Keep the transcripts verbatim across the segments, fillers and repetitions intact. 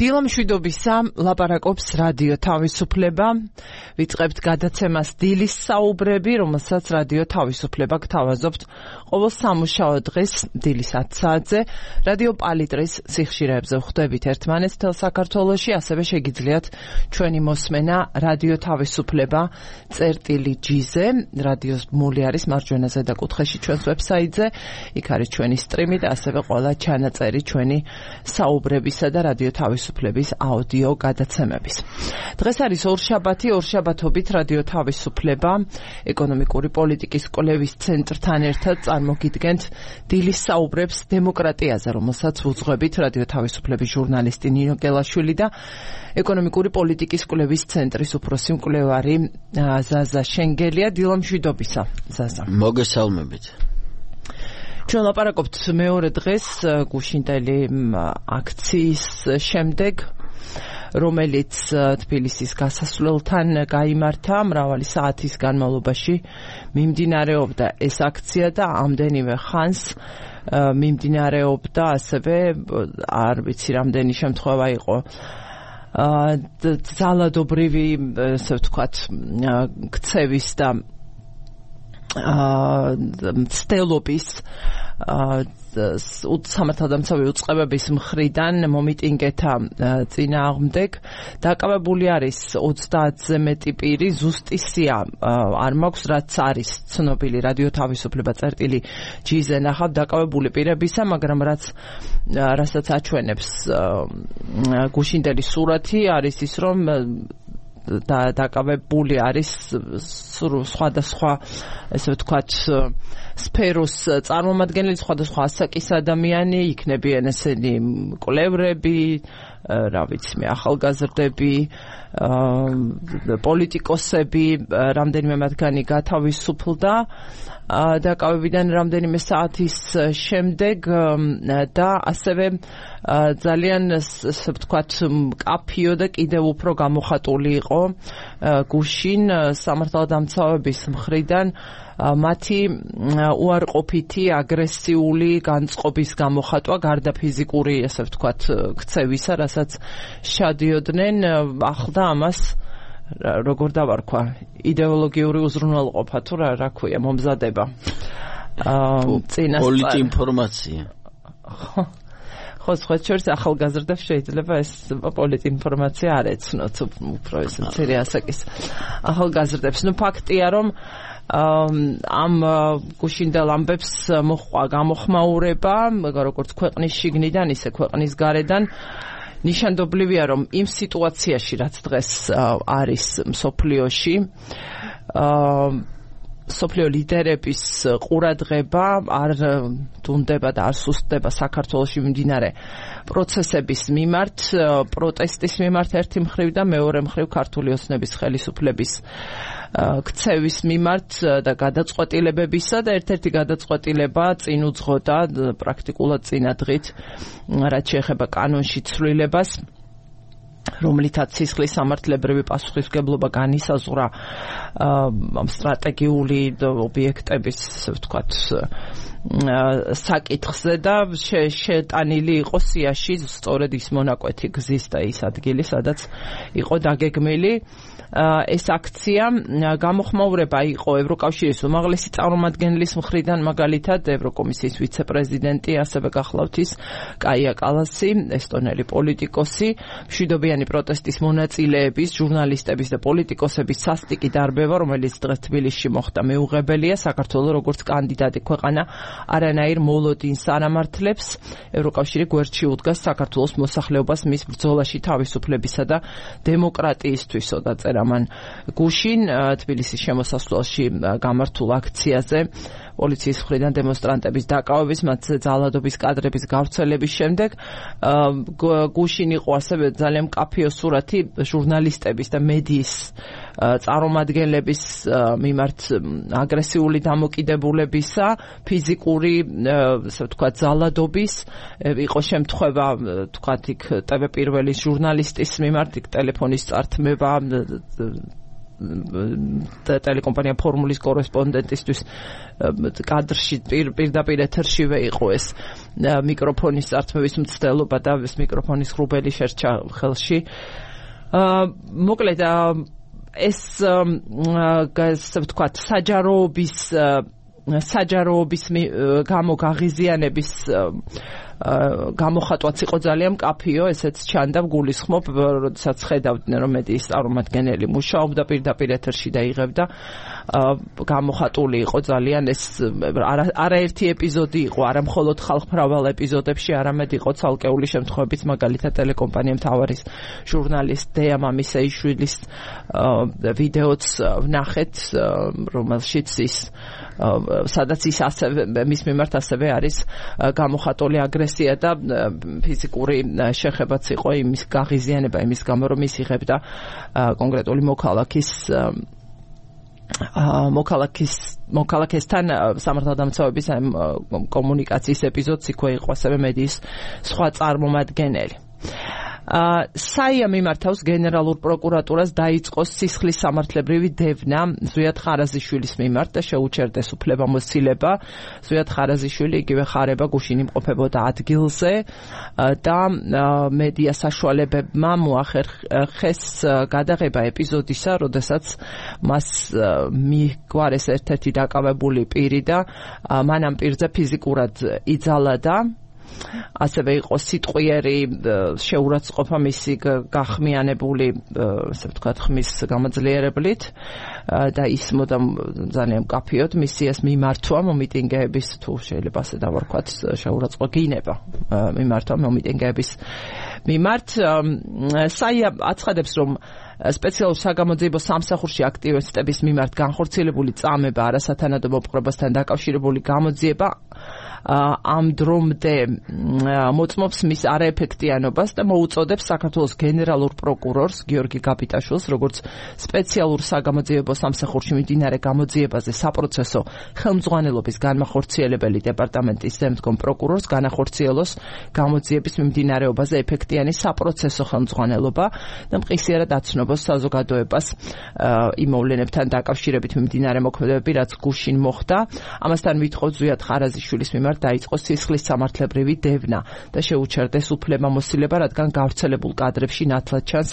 დილამშვიდობისა ლაპარაკობს რადიო თავისუფლება. ვიწყებთ გადაცემას დილის საუბრები, რომელსაც რადიო თავისუფლება გთავაზობთ ყოველ სამუშაო დღეს დილის ათი საათზე. რადიო პალიტრის სიხშირეებზე ვხვდებით ერთმანეთს თელ საქართველოში, ასევე შეგიძლიათ ჩვენი მოსმენა რადიო თავისუფლება წერტილი ჯი-ზე. რადიოს მული არის მარჯვენა ზედაკუთხეში ჩვენს ვებსაიტზე. იქ არის ჩვენი სტრიმი და ასევე ყველა ჩანაწერი ჩვენი საუბრებისა და რადიო თავისუფლების აუდიო გადაცემების. დღეს არის ორშაბათი, ორშაბათობით რადიო თავისუფლება ეკონომიკური პოლიტიკის კვლევის ცენტრთან ერთად წარმოგიდგენთ დილის საუბრებს დემოკრატიაზე, რომელსაც ვუძღვებით რადიო თავისუფლების ჟურნალისტი ნინო გელაშვილი და ეკონომიკური პოლიტიკის კვლევის ცენტრის უფროსი მკვლევარი ზაზა შენგელია. დილამშვიდობისა, ზაზა. მოგესალმებით. ჩვენ ლაპარაკობთ მეორე დღეს გუშინდელი აქციის შემდეგ, რომელიც თბილისის გასასვლელთან გაიმართა. მრავალი საათის განმავლობაში მიმდინარეობდა ეს აქცია და ამდენივე ხანს მიმდინარეობდა ასევე არ ვიცი რამდენი შემთხვევა იყო ძალადობრივი, ესე ვთქვათ, ქცევის და მცდელობის სამართალდამცავი უწყებების მხრიდან მომიტინგეთა წინააღმდეგ. დაკავებული არის ოცდაათზე მეტი პირი. ზუსტი სია არ მაქვს, რაც არის ცნობილი რადიო თავისუფლება წერტილი ჯი-ზე ნახავ დაკავებული პირებისა, მაგრამ რაც რასაც აჩვენებს გუშინდელი სურათი არის ის, რომ და დაკავებული არის სხვადასხვა, ესე ვთქვათ, სფეროს წარმომადგენელი, სხვადასხვა ასაკის ადამიანი, იქნებიან ესენი მკვლევრები, რა ვიცი მე, ახალგაზრდები, პოლიტიკოსები, რამდენიმე მათგანი გათავისუფლდა დაკავებიდან რამდენიმე საათის შემდეგ და ასევე ძალიან, ასე ვთქვათ, მკაფიო და კიდევ უფრო გამოხატული იყო გუშინ სამართალდამცავების მხრიდან მათი უარყოფითი, აგრესიული განწყობის გამოხატვა, გარდა ფიზიკური, ასე ვთქვათ, ქცევისა, რასაც შადიოდნენ, ახლდა ამას როგორ დავარქვა, იდეოლოგიური უზრუნველყოფა თუ რა რა ქვია, მომზადება. პოლიტინფორმაცია. ხო, სხვა შორის ახალგაზრდებს შეიძლება ეს პოლიტინფორმაცია არ ეცნოთ, უფრო ეს მცირე ასაკის ახალგაზრდებს. ნუ ფაქტია, რომ ამ გუშინდელ ამბებს მოჰყვა გამოხმაურება, როგორც ქვეყნის შიგნიდან, ისე ქვეყნის გარედან. ნიშანდობლივია, რომ იმ სიტუაციაში, რაც დღეს არის მსოფლიოში, მსოფლიო ლიდერების ყურადღება არ დუნდება და არ სუსტდება საქართველოში მიმდინარე პროცესების მიმართ, პროტესტის მიმართ ერთი მხრივ და მეორე მხრივ ქართული ოცნების ხელისუფლების ქცევის მიმართ და გადაწყვეტილებებისა და ერთ-ერთი გადაწყვეტილება წინ უძღოდა პრაქტიკულად წინადღით, რაც შეეხება კანონში ცვლილებას, რომლითაც სისხლის სამართლებრივი პასუხისმგებლობა განისაზღვრა ამ სტრატეგიული ობიექტების, ვთქვათ, საკითხზე და შეტანილი იყო სიაში სწორედ ის მონაკვეთი გზის და ის ადგილი, სადაც იყო დაგეგმილი ეს აქცია. გამოხმაურება იყო ევროკავშირის უმაღლესი წარმომადგენლის მხრიდან, მაგალითად ევროკომისიის ვიცე-პრეზიდენტი, ასევე გახლავთ ის კაია კალასი, ესტონელი პოლიტიკოსი. მშვიდობიანი პროტესტის მონაწილეების, ჟურნალისტების და პოლიტიკოსების სასტიკი დარბევა, რომელიც დღეს თბილისში მოხდა, მეუღებელია. საქართველოს როგორც კანდიდატი ქვეყანა არანაირ მოლოდინს არ ამართლებს. ევროკავშირი გვერდში უდგას საქართველოს მოსახლეობას მის ბრძოლაში თავისუფლებისა და დემოკრატიისთვისო, დაწერა მან გუშინ თბილისის შემოსასვლელში გამართულ აქციაზე. პოლიციის მხრიდან დემონსტრანტების დაკავების, მათზე ძალადობის კადრების გავრცელების შემდეგ გუშინ იყო ასევე ძალიან მკაფიო სურათი ჟურნალისტების და მედიის წარმომადგენლების მიმართ აგრესიული დამოკიდებულებისა, ფიზიკური, ასე ვთქვათ, ძალადობის. იყო შემთხვევა, ვთქვათ, იქ ტევ პირველის ჟურნალისტის მიმართ იქ ტელეფონის წართმევა, ტელეკომპანია ფორმულის კორესპონდენტისთვის კადრში პირდაპირ ეთერშივე იყო ეს მიკროფონის წართმევის მცდელობა და ეს მიკროფონის ღრუბელი შერჩა ხელში. მოკლედ ეს ასე ვთქვათ საჯაროობის საჯაროობის გამო გაღიზიანების გამოხატვაც იყო ძალიან მკაფიო, ესეც ჩანდა გულისხმობ, როდესაც ხედავდნენ რომ მედიის წარმომადგენელი მუშაობდა პირდაპირ ეთერში და იღებდა გამოხატული იყო ძალიან ეს არაერთი ეპიზოდი იყო, არა მხოლოდ ხალხმრავალ ეპიზოდებში, არამედ იყო ცალკეული შემთხვევებიც, მაგალითად ტელეკომპანია მთავარის ჟურნალისტ დეა მამისეიშვილის ვიდეოც ვნახეთ, რომელშიც ის სადაც ის ასევე მის მიმართ ასევე არის გამოხატული აგრესია და ფიზიკური შეხებაც იყო იმის გაღიზიანება იმის გამო რომ ის იღებდა კონკრეტული მოქალაქის მოქალაქის მოქალაქესთან სამართალდამცავების კომუნიკაციის ეპიზოდს იქვე იყო ასევე მედიის სხვა წარმომადგენელი. საია მიმართავს გენერალურ პროკურატურას დაიწყო სისხლის სამართლებრივი დევნა ზვიად ხარაზიშვილის მიმართ და შეუჩერდეს უფლებამოსილება. ზვიად ხარაზიშვილი იგივე ხარება გუშინ იმყოფებოდა ადგილზე და მედია საშუალებებმა მოახერხეს გადაღება ეპიზოდისა, როდესაც მას მიგვარეს ერთ-ერთი დაკავებული პირი და მან ამ პირზე ფიზიკურად იძალა და ასევე იყო სიტყვიერი შეურაცხყოფა მისი გახმიანებული, ასე ვთქვათ, ხმის გამოძლიერებლით და ის მოდამ ძალიან მკაფიოდ მისიას მიმართვა მომიტინგეების, თუ შეიძლება ასე დავარქვათ, შეურაცხყოფა გინება მიმართვა მომიტინგეების მიმართ. საია აცხადებს, რომ სპეციალურ საგამოძიებო სამსახურში აქტივისტების მიმართ განხორციელებული წამება არასათანადო მოპყრობასთან დაკავშირებული გამოძიება ამ დრომდე მოწმობს მის არაეფექტიანობას და მოუწოდებს საქართველოს გენერალურ პროკურორს გიორგი გაბიტაშვილს, როგორც სპეციალურ საგამოძიებო სამსახურში მიმდინარე გამოძიებაზე საპროცესო ხელმძღვანელობის განმახორციელებელი დეპარტამენტის ზემდგომ პროკურორს განახორციელოს გამოძიების მიმდინარეობაზე ეფექტიანი საპროცესო ხელმძღვანელობა და მყისიერად აცნობს საზოგადოებას იმ მოვლენებთან დაკავშირებით მიმდინარე მოქმედებები, რაც გუშინ მოხდა. ამასთან ვითხოვთ ზვიად ხარაზიშვილის მიმართ დაიწყო სისხლის სამართლებრივი დევნა და შეუჩერდეს უფლებამოსილება, რადგან გავრცელებულ კადრებში ნათლად ჩანს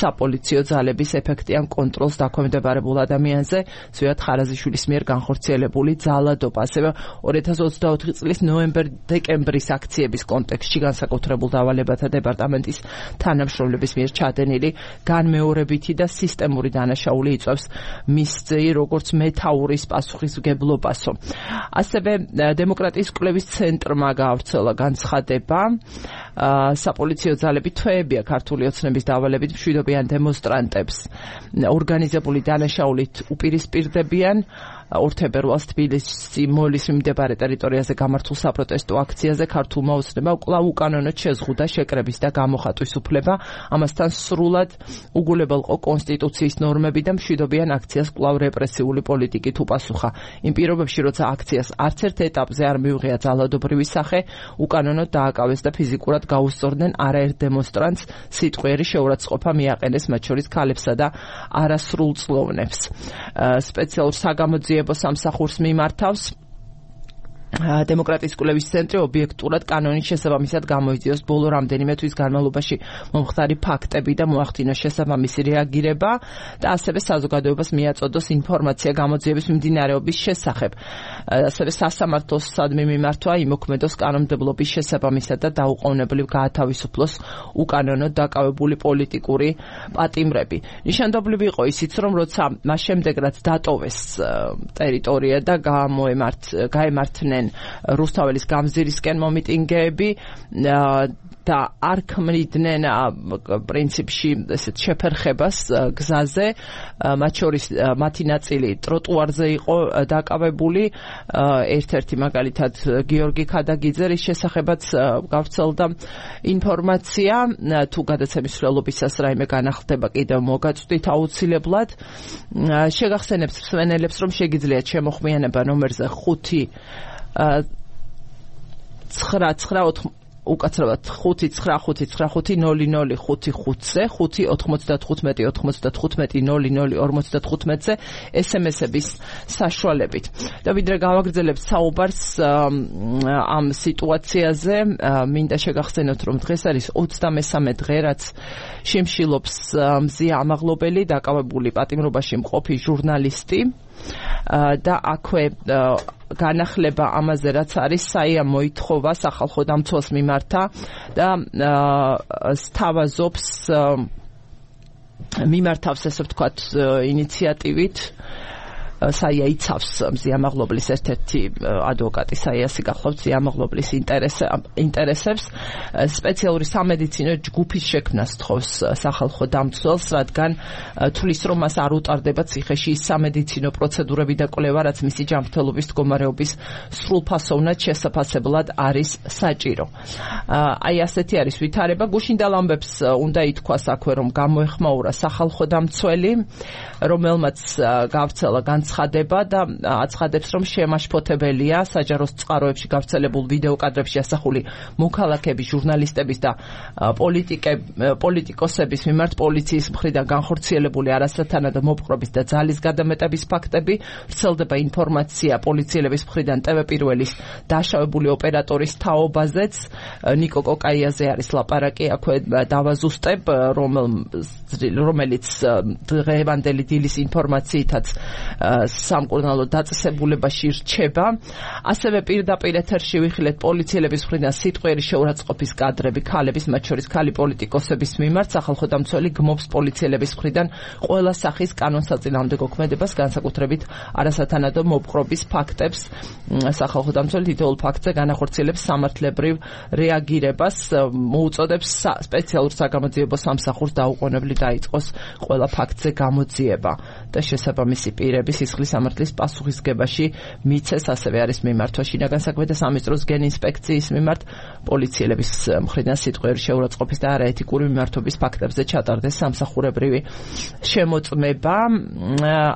საპოლიციო ძალების ეფექტიან კონტროლს დაქვემდებარებულ ადამიანზე ზვიად ხარაზიშვილის მიერ განხორციელებული ძალადობა. ასევე ორი ათას ოცდაოთხი წლის ნოემბერ-დეკემბრის აქციების კონტექსტში განსაკუთრებულ დავალებათა დეპარტამენტის თანამშრომლების მიერ ჩადენილი განმეორებითი და სისტემური დანაშაული იწვევს მის ძეი როგორც მეთაურის პასუხისმგებლობასო. ასევე დემოკრატიის კვლევის ცენტრმა გაავრცელა განცხადება, საპოლიციო ძალები თვეებია ქართული ოცნების დავალებით მშვიდობიან დემონსტრანტებს ორგანიზებული დანაშაულით უპირისპირდებიან. ორ თებერვალს თბილისში მოლის მიმდებარე ტერიტორიაზე გამართულ საპროტესტო აქციაზე ქართულმა ოცნებამ კვლავ უკანონოდ შეზღუდა შეკრების და გამოხატვის უფლება, ამასთან სრულად უგულებელყო კონსტიტუციის ნორმები და მშვიდობიან აქციას კვლავ რეპრესიული პოლიტიკით უპასუხა. იმ პირობებში, როცა აქციას არც ერთ ეტაპზე არ მიუღია ძალადობრივი სახე, უკანონოდ დააკავეს და ფიზიკურად გაუსწორდნენ არაერთ დემონსტრანტს, სიტყვიერი შეურაცხყოფა მიაყენეს მათ შორის ქალებსა და არასრულწლოვნებს. სპეციალურ საგამოძიებო სამსახურს მიმართავს დემოკრატიის კვლევის ცენტრი ობიექტურად კანონის შესაბამისად გამოიწვიოს ბოლო რამდენიმე თვის განმავლობაში მომხდარი ფაქტები და მოახდინოს შესაბამისი რეაგირება და ასევე საზოგადოებას მიაწოდოს ინფორმაცია გამოძიების მიმდინარეობის შესახებ. ასევე სასამართლოსადმი მიმართვა იმოქმედოს კანონმდებლობის შესაბამისად და დაუყოვნებლივ გაათავისუფლოს უკანონოდ დაკავებული პოლიტიკური პატიმრები. ნიშანდობლივი იყო ისიც, რომ როცა მას შემდეგ რაც დატოვეს ტერიტორია და გამოემართ გაემართნენ რუსთაველის გამზირისკენ მომიტინგეები და არ ქმნიდნენ პრინციპში ესეთ შეფერხებას გზაზე, მათ შორის მათი ნაწილი ტროტუარზე იყო დაკავებული. ერთ-ერთი მაგალითად გიორგი ქადაგიძე, რის შესახებაც გავრცელდა ინფორმაცია, თუ გადაცემის მსვლელობისას რაიმე განახლდება კიდევ მოგაწვდით აუცილებლად. შეგახსენებთ მსმენელებს, რომ შეგიძლიათ შემოხმიანება ნომერზე ხუთი ცხრა ცხრა უკაცრავად ხუთი ცხრა ხუთი ცხრა ხუთი ნული ნული ხუთი ხუთზე ხუთი ოთხმოცდათხუთმეტი ოთხმოცდათხუთმეტი ნული ნული ორმოცდათხუთმეტზე ესემესების საშუალებით. და ვიდრე გავაგრძელებთ საუბარს ამ სიტუაციაზე, მინდა შეგახსენოთ, რომ დღეს არის ოცდამესამე დღე, რაც შიმშილობს მზია ამაღლობელი, დაკავებული პატიმრობაში მყოფი ჟურნალისტი და აქვე განახლება ამაზე, რაც არის საია მოითხოვა სახალხო დამცველს მიმართა და სთავაზობს მიმართავს, ესე ვთქვათ, ინიციატივით საია იცავს მზია ამაღლობლის ერთ-ერთი ადვოკატი საიასი გახლავთ მზია ამაღლობლის ინტერესებს სპეციალური სამედიცინო ჯგუფის შექმნას თხოვს სახალხო დამცველს, რადგან თulis რომ მას არ უტარდება ციხეში ის სამედიცინო პროცედურები და კვლევა, რაც მისი ჯანმრთელობის მდგომარეობის სრულფასოვნად შესაფასებლად არის საჭირო. აი ასეთი არის ვითარება. გუშინდელ ამბებს უნდა ითქვას აქვე, რომ გამოეხმაურა სახალხო დამცველი, რომელმაც გავრცელა განცხადება და აცხადებს, რომ შემაშფოთებელია საჯაროს წყაროებში გავრცელებულ ვიდეო კადრებში ასახული მოქალაქების, ჟურნალისტების და პოლიტიკოსების მიმართ პოლიციის მხრიდან განხორციელებული არასათანადო მოპყრობის და ძალის გადამეტების ფაქტები. ვრცელდება ინფორმაცია პოლიციელების მხრიდან ტევ პირველის დაშავებული ოპერატორის თაობაზეც. ნიკო კოკაიაზე არის ლაპარაკი, აქვე დავაზუსტებ, რომელიც დღევანდელი დილის ინფორმაციითაც სამკურნალო დაწესებულებაში რჩება. ასევე პირდაპირ ეთერში ვიხილეთ პოლიციელების მხრიდან სიტყვიერი შეურაცხყოფის კადრები ქალების, მათ შორის ქალი პოლიტიკოსების მიმართ. სახალხო დამცველი გმობს პოლიციელების მხრიდან ყველა სახის კანონსაწინააღმდეგო ქმედებას, განსაკუთრებით არასათანადო მოპყრობის ფაქტებს. სახალხო დამცველი თითოეულ ფაქტზე განახორციელებს სამართლებრივ რეაგირებას, მოუწოდებს სპეციალურ საგამოძიებო სამსახურს დაუყოვნებლივ დაიწყოს ყველა ფაქტზე გამოძიება და შესაბამისი პირები სისხლის სამართლის პასუხისგებაში მიცეს. ასევე არის მიმართვა შინაგან საქმეთა სამინისტროს გენინსპექციის მიმართ პოლიციელების მხრიდან სიტყვიერი შეურაცხყოფის და არაეთიკური მიმართობის ფაქტებზე ჩატარდეს სამსახურებრივი შემოწმება.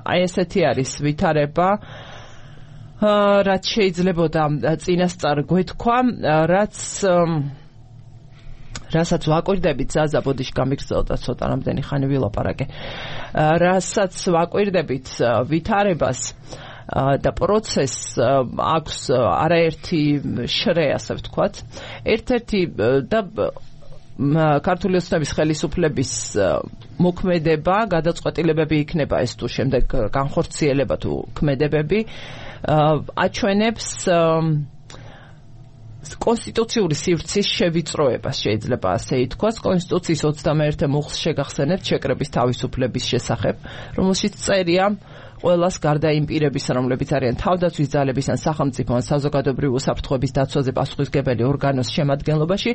აი ესეთი არის ვითარება, რაც შეიძლებოდა წინასწარ გვეთქვა, რაც რასაც ვაკვირდებით, ზაზა ბოდიში გამიგრძელდა ცოტა რამდენი ხანი ვილაპარაკე, რასაც ვაკვირდებით ვითარებას და პროცესს აქვს არაერთი შრე, ასე ვთქვათ. ერთ-ერთი და ქართული ოცნების ხელისუფლების მოქმედება, გადაწყვეტილებები იქნება ეს თუ შემდეგ განხორციელება თუ ქმედებები, აჩვენებს კონსტიტუციური სივრცის შევიწროებას, შეიძლება ასე ითქვას. კონსტიტუციის ოცდამეერთე მუხლს შეგახსენებთ შეკრების თავისუფლების შესახებ, რომელშიც წერია ყველას გარდა იმ პირებისა, რომლებიც არიან თავდაცვის ძალების ან სახელმწიფო ან საზოგადოებრივი უსაფრთხოების დაცვაზე პასუხისმგებელი ორგანოს შემადგენლობაში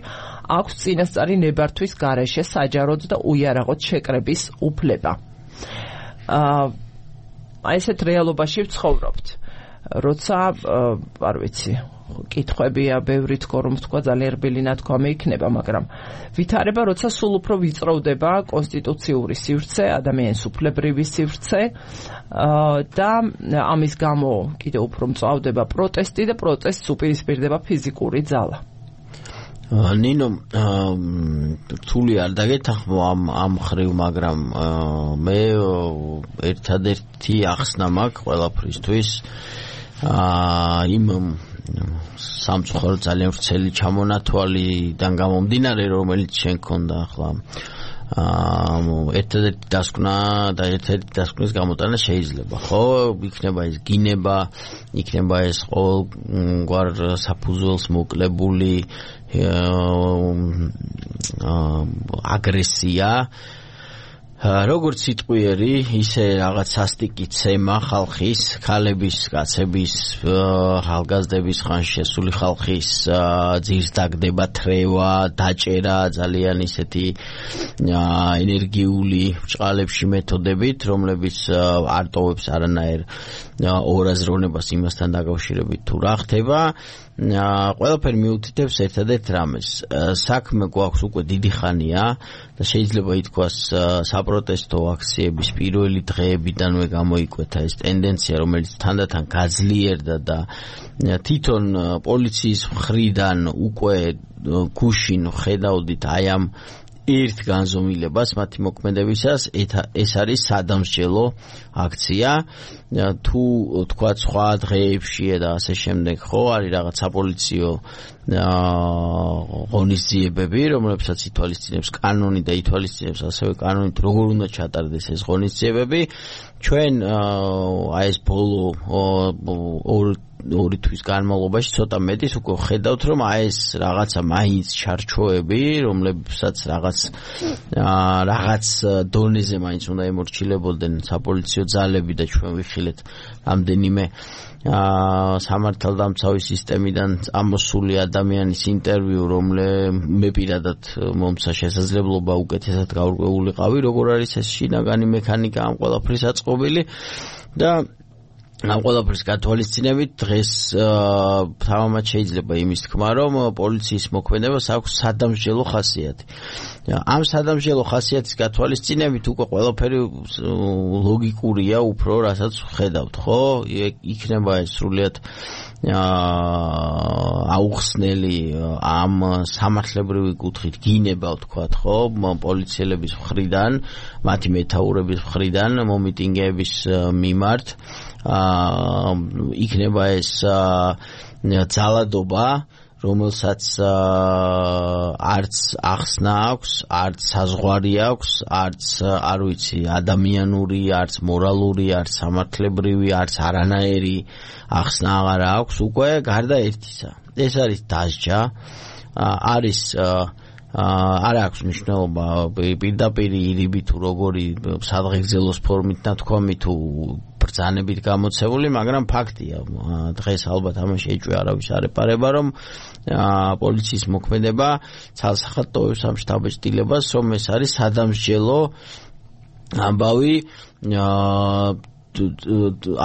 აქვს წინასწარი ნებართვის გარეშე საჯაროდ და უიარაღოდ შეკრების უფლება. აი ესეთ რეალობაში ვცხოვრობთ. როცა არ ვიცი, კითხვებია ბევრი, თქო რომ თქვა ძალიან რბილი ნათქვამი იქნება, მაგრამ ვითარება, როცა სულ უფრო ვიწროვდება კონსტიტუციური სივრცე, ადამიანის უფლებრივი სივრცე და ამის გამო კიდევ უფრო მწვავდება პროტესტი და პროტესტს უპირისპირდება ფიზიკური ძალა. ნინო, რთული არ დაგეთანხმო ამ ამ ხრივ, მაგრამ მე ერთადერთი ახსნა მაქვს ყველაფრისთვის იმ სამწუხარო ძალიან ვრცელი ჩამონათვალიდან გამომდინარე, რომელიც შენ ქონდა ახლა ერთადერთი დასკვნა და ერთადერთი დასკვნის გამოტანა შეიძლება, ხო? იქნება ეს გინება, იქნება ეს ყოველგვარ საფუძველს მოკლებული აგრესია, როგორც სიტყვიერი, ისე რაღაც სასტიკი ცემა ხალხის, ქალების, კაცების, ახალგაზრდების, ხან შესული ხალხის ძირს დაგდება თრევა, დაჭერა, ძალიან ისეთი ენერგიული ბრჭყალებში მეთოდებით, რომლებიც არ ტოვებს არანაირ ორაზროვნებას იმასთან დაკავშირებით თუ რა ხდება. ყველაფერი მიუთითებს ერთადერთ რამეს. საქმე გვაქვს უკვე დიდი ხანია და შეიძლება ითქვას საპროტესტო აქციების პირველი დღეებიდანვე გამოიკვეთა ეს ტენდენცია, რომელიც თანდათან გაძლიერდა და თვითონ პოლიციის მხრიდან უკვე გუშინ ხედავდით აი ამ ერთ განზომილებას მათი მოქმედებისას, ეს არის სადამსჯელო აქცია. თუ თქვა სხვა დღეებში და ასე შემდეგ, ხო, არის რაღაც საპოლიციო ღონისძიებები, რომლებსაც ითვალისწინებს კანონი და ითვალისწინებს ასევე კანონით როგორ უნდა ჩატარდეს ეს ღონისძიებები. ჩვენ აი ეს ბოლო ორი თვის განმავლობაში ცოტა მეტის უკვე ხედავთ, რომ აი ეს რაღაცა მაინც ჩარჩოები, რომლებსაც რაღაც რაღაც დონეზე მაინც უნდა ემორჩილებოდნენ საპოლიციო ძალები და ჩვენ ვიხილეთ რამდენიმე სამართალდამცავი სისტემიდან წამოსული ადამიანის ინტერვიუ, რომლე მე პირადად მომცა შესაძლებლობა უკეთესად გაურკვეულიყავი, როგორ არის ეს შინაგანი მექანიკა ამ ყველაფრის აწყობილი და ამ ყველაფრის გათვალისწინებით დღეს თამამად შეიძლება იმის თქმა, რომ პოლიციის მოქმედებას აქვს სადამსჯელო ხასიათი. ამ სადამსჯელო ხასიათის გათვალისწინებით უკვე ყველაფერი ლოგიკურია უფრო, რასაც ხედავთ, ხო? იქნება ეს სრულიად აუხსნელი ამ სამართლებრივი კუთხით გინება, ვთქვათ, ხო, პოლიციელების მხრიდან, მათი მეთაურების მხრიდან მომიტინგეების მიმართ. იქნება ეს ძალადობა, რომელსაც არც ახსნა აქვს, არც საზღვარი აქვს, არც არ ვიცი, ადამიანური, არც მორალური, არც სამართლებრივი, არც არანაირი ახსნა აღარ აქვს, უკვე გარდა ერთისა. ეს არის დასჯა, არის არ აქვს მნიშვნელობა პირდაპირ ირიბი თუ როგორი სადღეგრძელოს ფორმით ნათქვამი თუ ბრძანებით გამოცებული, მაგრამ ფაქტია, დღეს ალბათ ამაში ეჭვი არავის არ ეპარება, რომ პოლიციის მოქმედება ცალსახად ტოვებს ამ შთაბეჭდილებას, რომ ეს არის სადამსჯელო ამბავი,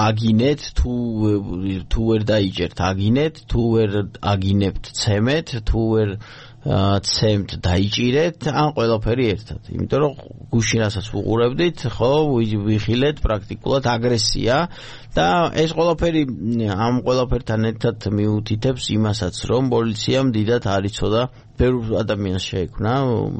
აგინეთ თუ თუ ვერ დაიჭერთ აგინეთ, თუ ვერ აგინებთ ცემეთ, თუ ვერ ცემთ დაიჭირეთ, ან ყველაფერი ერთად. იმიტომ რომ გუშინასაც ვუყურებდით, ხო, ვიხილეთ პრაქტიკულად აგრესია და ეს ყველაფერი ამ ყველაფერთან ერთად მიუთითებს იმასაც, რომ პოლიციამ დიდად არ იცოდა, ბევრ ადამიანს შეექმნა,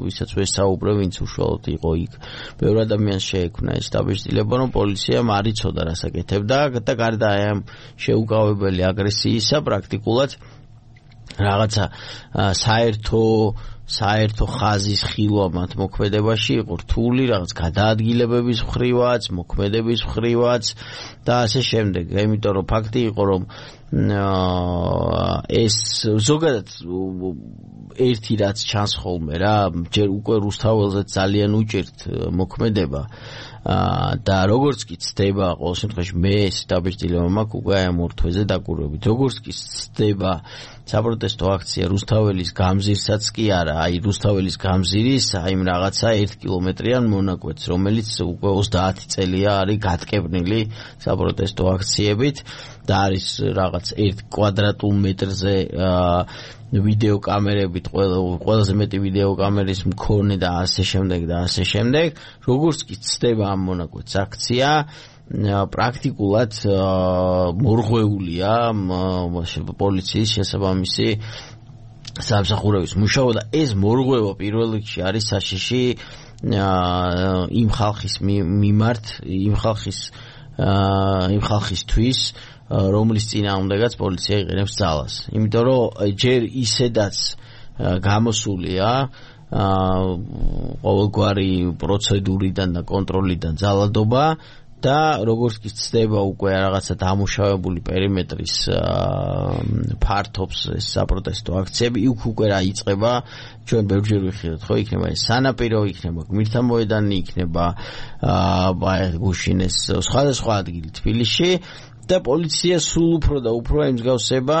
ვისაც ვესაუბრე, ვინც უშუალოდ იყო იქ. ბევრ ადამიანს შეექმნა ეს დაბეჭდილება, რომ პოლიციამ არ იცოდა რას აკეთებდა და გარდა ამ შეუკავებელი აგრესიისა პრაქტიკულად რაღაცა საერთო საერთო ხაზის ხილვა მათ მოქმედებაში იყო რთული, რაღაც გადაადგილებების მხრივაც, მოქმედების მხრივაც და ასე შემდეგ. იმიტომ რომ ფაქტი იყო, რომ ეს ზოგადად ერთი რაც ჩანს ხოლმე რა, ჯერ უკვე რუსთაველზე ძალიან უჭერთ მოქმედება და როგორც კი ცდება, ყოველ შემთხვევაში მე ეს დაბეჭდილება მაქვს უკვე ამ ორ თვეზე დაკვირვებით. როგორც კი ცდება საპროტესტო აქცია რუსთაველის გამზირსაც კი არა, აი რუსთაველის გამზირის აი რაღაცა ერთ კილომეტრიან მონაკვეთს, რომელიც უკვე ოცდაათი წელია არის გატკეპნილი საპროტესტო აქციებით და არის რაღაც ერთ კვადრატულ მეტრზე ვიდეო კამერებით, ყველაზე მეტი ვიდეო კამერის მქონე და ასე შემდეგ და ასე შემდეგ. როგორც კი ცდება ამ მონაკვეთს აქცია, პრაქტიკულად მორღვეულია პოლიციის შესაბამისი სამსახურების მუშაობა და ეს მორღვევა პირველ რიგში არის საშიში იმ ხალხის მიმართ, იმ ხალხის იმ ხალხისთვის, რომლის წინააღმდეგაც პოლიცია იყენებს ძალას. იმიტომ რომ ჯერ ისედაც გამოსულია ყოველგვარი პროცედურიდან და კონტროლიდან ძალადობა და როგორც კი ცდება უკვე რაღაცა დამუშავებული პერიმეტრის ფართობს ეს საპროტესტო აქციები, იქ უკვე რა იწყება, ჩვენ ბევრჯერ ვიხილეთ, ხო, იქნება ეს სანაპირო, იქნება გმირთა მოედანი, იქნება გუშინ ეს სხვადასხვა ადგილი თბილისში და პოლიცია სულ უფრო და უფრო ემსგავსება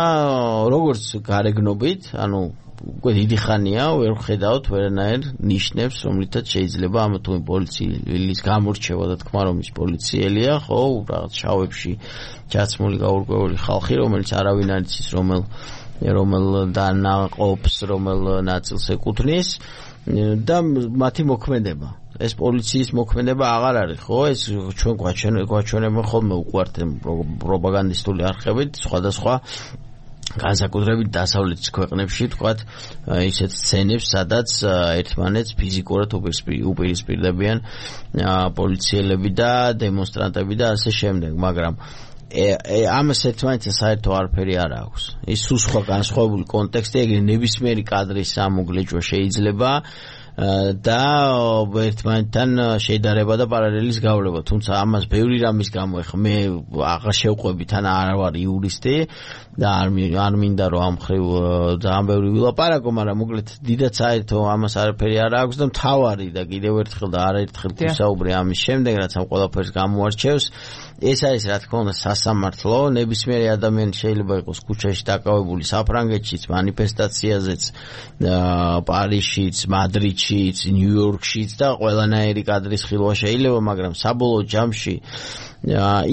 როგორც გარეგნობით, ანუ უკვე დიდი ხანია ვერ ხედავთ ვერანაირ ნიშნებს, რომლითაც შეიძლება ამ თუ პოლიციის გამორჩევა და თქმა რომ ის პოლიციელია, ხო, რაღაც შავებში ჩაცმული გაურკვეველი ხალხი, რომელიც არავინ არ იცის რომელ რომელ დანაყოფს, რომელ ნაწილს ეკუთვნის და მათი მოქმედება. ეს პოლიციის მოქმედება აღარ არის, ხო? ეს ჩვენ გვაჩვენებენ ხოლმე უყვართ პროპაგანდისტული არხებით, სხვადასხვა განსაკუთრებით დასავლეთის ქვეყნებში, თქვათ, ისეთ სცენებს, სადაც ერთმანეთს ფიზიკურად უპირისპირდებიან პოლიციელები და დემონსტრანტები და ასე შემდეგ, მაგრამ ამას ერთმანეთს საერთო არაფერი არ აქვს. ის სულ სხვა განსხვავებული კონტექსტი, ეგრე ნებისმიერი კადრის ამოგლეჭვა შეიძლება და ერთმანეთთან შედარება და პარალელის გავლება, თუმცა ამას ბევრი რამის გამო ეხა მე აღარ შევყვებით, ან არ ვარ იურისტი და არ არ მინდა რომ ამ ხრივ ძალიან ბევრი ვილაპარაკო, მაგრამ მოკლედ დიდად საერთო ამას არაფერი არ აქვს და მთავარი და კიდევ ერთხელ და არაერთხელ ვისაუბრე ამის შემდეგ, რაც ამ ყველაფერს გამოარჩევს, ეს არის რა თქმა უნდა სასამართლო. ნებისმიერი ადამიანი შეიძლება იყოს ქუჩაში დაკავებული საფრანგეთშიც, მანიფესტაციაზეც, პარიზშიც, მადრიდშიც, ნიუ-იორკშიც და ყველანაირი კადრის ხილვა შეიძლება, მაგრამ საბოლოო ჯამში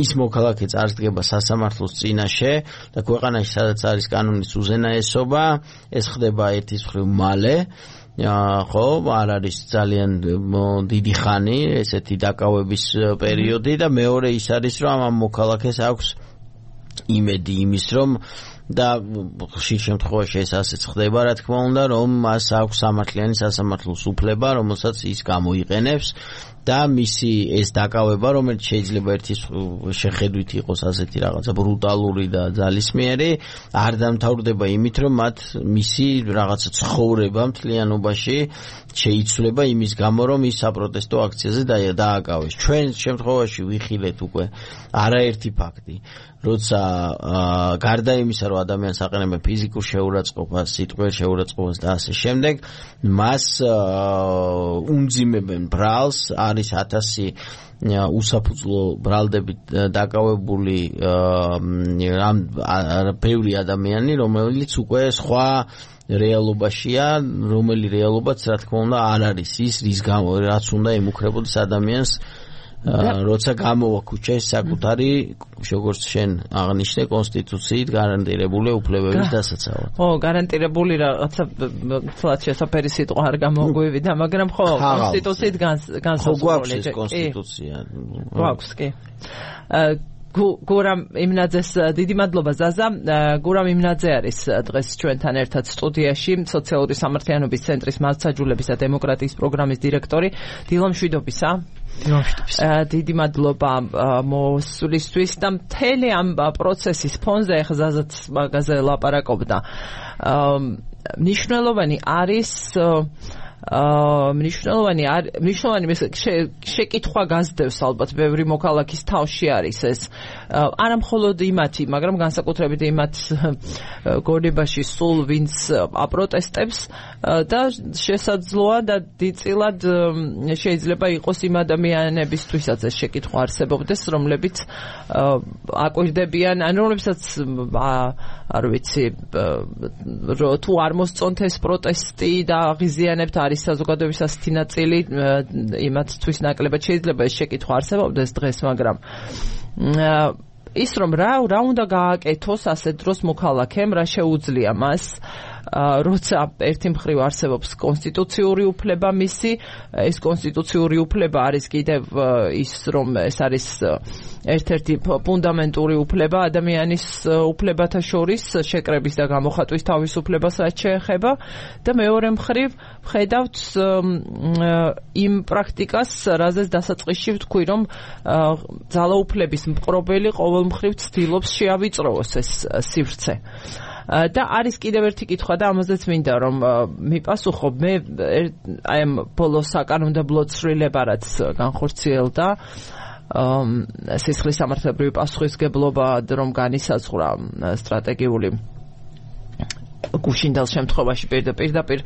ის მოქალაქე წარსდგება სასამართლოს წინაშე და ქვეყანაში სადაც არის კანონის უზენაესობა, ეს ხდება ერთის მხრივ მალე, ხო, არ არის ძალიან დიდი ხანი ესეთი დაკავების პერიოდი და მეორე ის არის რომ ამ მოქალაქეს აქვს იმედი იმის რომ და ხშირ შემთხვევაში ეს ასეც ხდება, რა თქმა უნდა, რომ მას აქვს სამართლიანი სასამართლოს უფლება, რომელსაც ის გამოიყენებს და მისი ეს დაკავება, რომელიც შეიძლება ერთის შეხედვით იყოს ასეთი რაღაცა ბრუტალური და ძალისმიერი, არ დამთავრდება იმით, რომ მათ მისი რაღაცა ცხოვრება მთლიანობაში შეიცვლება იმის გამო, რომ ის საპროტესტო აქციაზე დააკავეს. ჩვენ შემთხვევაში ვიხილეთ უკვე არაერთი ფაქტი, როცა გარდა იმისა, რომ ადამიანს აყენებენ ფიზიკურ შეურაცხყოფას, სიტყვიერ შეურაცხყოფას და ასე შემდეგ, მას უმძიმებენ ბრალს, არის ათასი უსაფუძვლო ბრალდებით დაკავებული ბევრი ადამიანი, რომელიც უკვე სხვა რეალობაშია, რომელი რეალობაც რა თქმა უნდა არ არის ის, რის გამო რაც უნდა ემუქრებოდეს ადამიანს როცა გამოვა ქუჩაში საკუთარი, როგორც შენ აღნიშნე, კონსტიტუციით გარანტირებული უფლებების დასაცავად. ხო, გარანტირებული რაღაცა თლაც შესაფერი სიტყვა არ გამოგვივიდა, მაგრამ ხო, კონსტიტუციით განსაზღვრული. ხო, გვაქვს ეს კონსტიტუცია. გვაქვს, კი. გურამ იმნაძეს დიდი მადლობა ზაზა. გურამ იმნაძე არის დღეს ჩვენთან ერთად სტუდიაში, სოციალური სამართლიანობის ცენტრის მართლმსაჯულების და დემოკრატიის პროგრამის დირექტორი. დილამშვიდობისა. დილამშვიდობისა. დიდი მადლობა მოსვლისთვის და მთელი ამ პროცესის ფონზე ახლა ზაზაც მაგაზე ლაპარაკობდა. მნიშვნელოვანი არის აა მნიშვნელოვანი მნიშვნელოვანი შეკითხვა გასდევს ალბათ ბევრი მოქალაქის თავში არის ეს არა მხოლოდ იმათი, მაგრამ განსაკუთრებით იმათ გონებაში სულ ვინც აპროტესტებს და შესაძლოა და დიდწილად შეიძლება იყოს იმ ადამიანებისთვისაც ეს შეკითხვა არსებობდეს, რომლებიც აკვირდებიან, ან რომლებსაც არ ვიცი თუ არ მოსწონთ ეს პროტესტი და აღიზიანებთ არის საზოგადოების ასეთი ნაწილი, იმათთვის ნაკლებად შეიძლება ეს შეკითხვა არსებობდეს დღეს, მაგრამ ის რომ რა რა უნდა გააკეთოს ასეთ დროს მოქალაქემ, რა შეუძლია მას, როცა ერთი მხრივ არსებობს კონსტიტუციური უფლება მისი, ეს კონსტიტუციური უფლება არის კიდევ ის, რომ ეს არის ერთ-ერთი ფუნდამენტური უფლება ადამიანის უფლებათა შორის, შეკრების და გამოხატვის თავისუფლებას რაც შეეხება და მეორე მხრივ ვხედავთ იმ პრაქტიკას, რაზეც დასაწყისში ვთქვი, რომ ძალაუფლების მპყრობელი ყოველ მხრივ ცდილობს შეავიწროვოს ეს სივრცე. და არის კიდევ ერთი კითხვა და ამაზეც მინდა რომ მიპასუხო. მე აი ამ ბოლოს საკანონმდებლო ცვლილება რაც განხორციელდა სისხლის სამართლებრივი პასუხისგებლობა რომ განისაზღვრა სტრატეგიული გუშინდელ შემთხვევაში პირდაპირ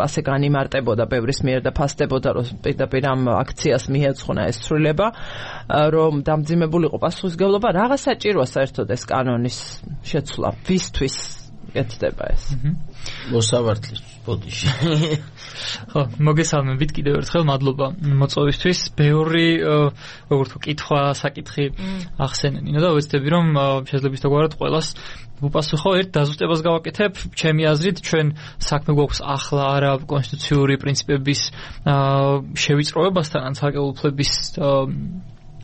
ასე განიმარტებოდა ბევრის მიერ და ფასდებოდა რომ პირდაპირ ამ აქციას მიეძღვნა ეს ცვლილება, რომ დამძიმებულიყო პასუხისგებლობა, რაღაც საჭიროა საერთოდ ეს კანონის შეცვლა, ვისთვის კეთდება ეს. მოსავართლის ბოდიში. ხო, მოგესალმებით კიდევ ერთხელ, მადლობა მოწვევისთვის. ბევრი როგორ თქო კითხვა, საკითხი ახსენენინო და ვეცდები რომ შეიძლება ისთაგვარად ყველას უპასუხო ერთ დაზუსტებას გავაკეთებ. ჩემი აზრით ჩვენ საქმე გვაქვს ახლა არა კონსტიტუციური პრინციპების შევიწროებასთან ან ცალკეული უფლების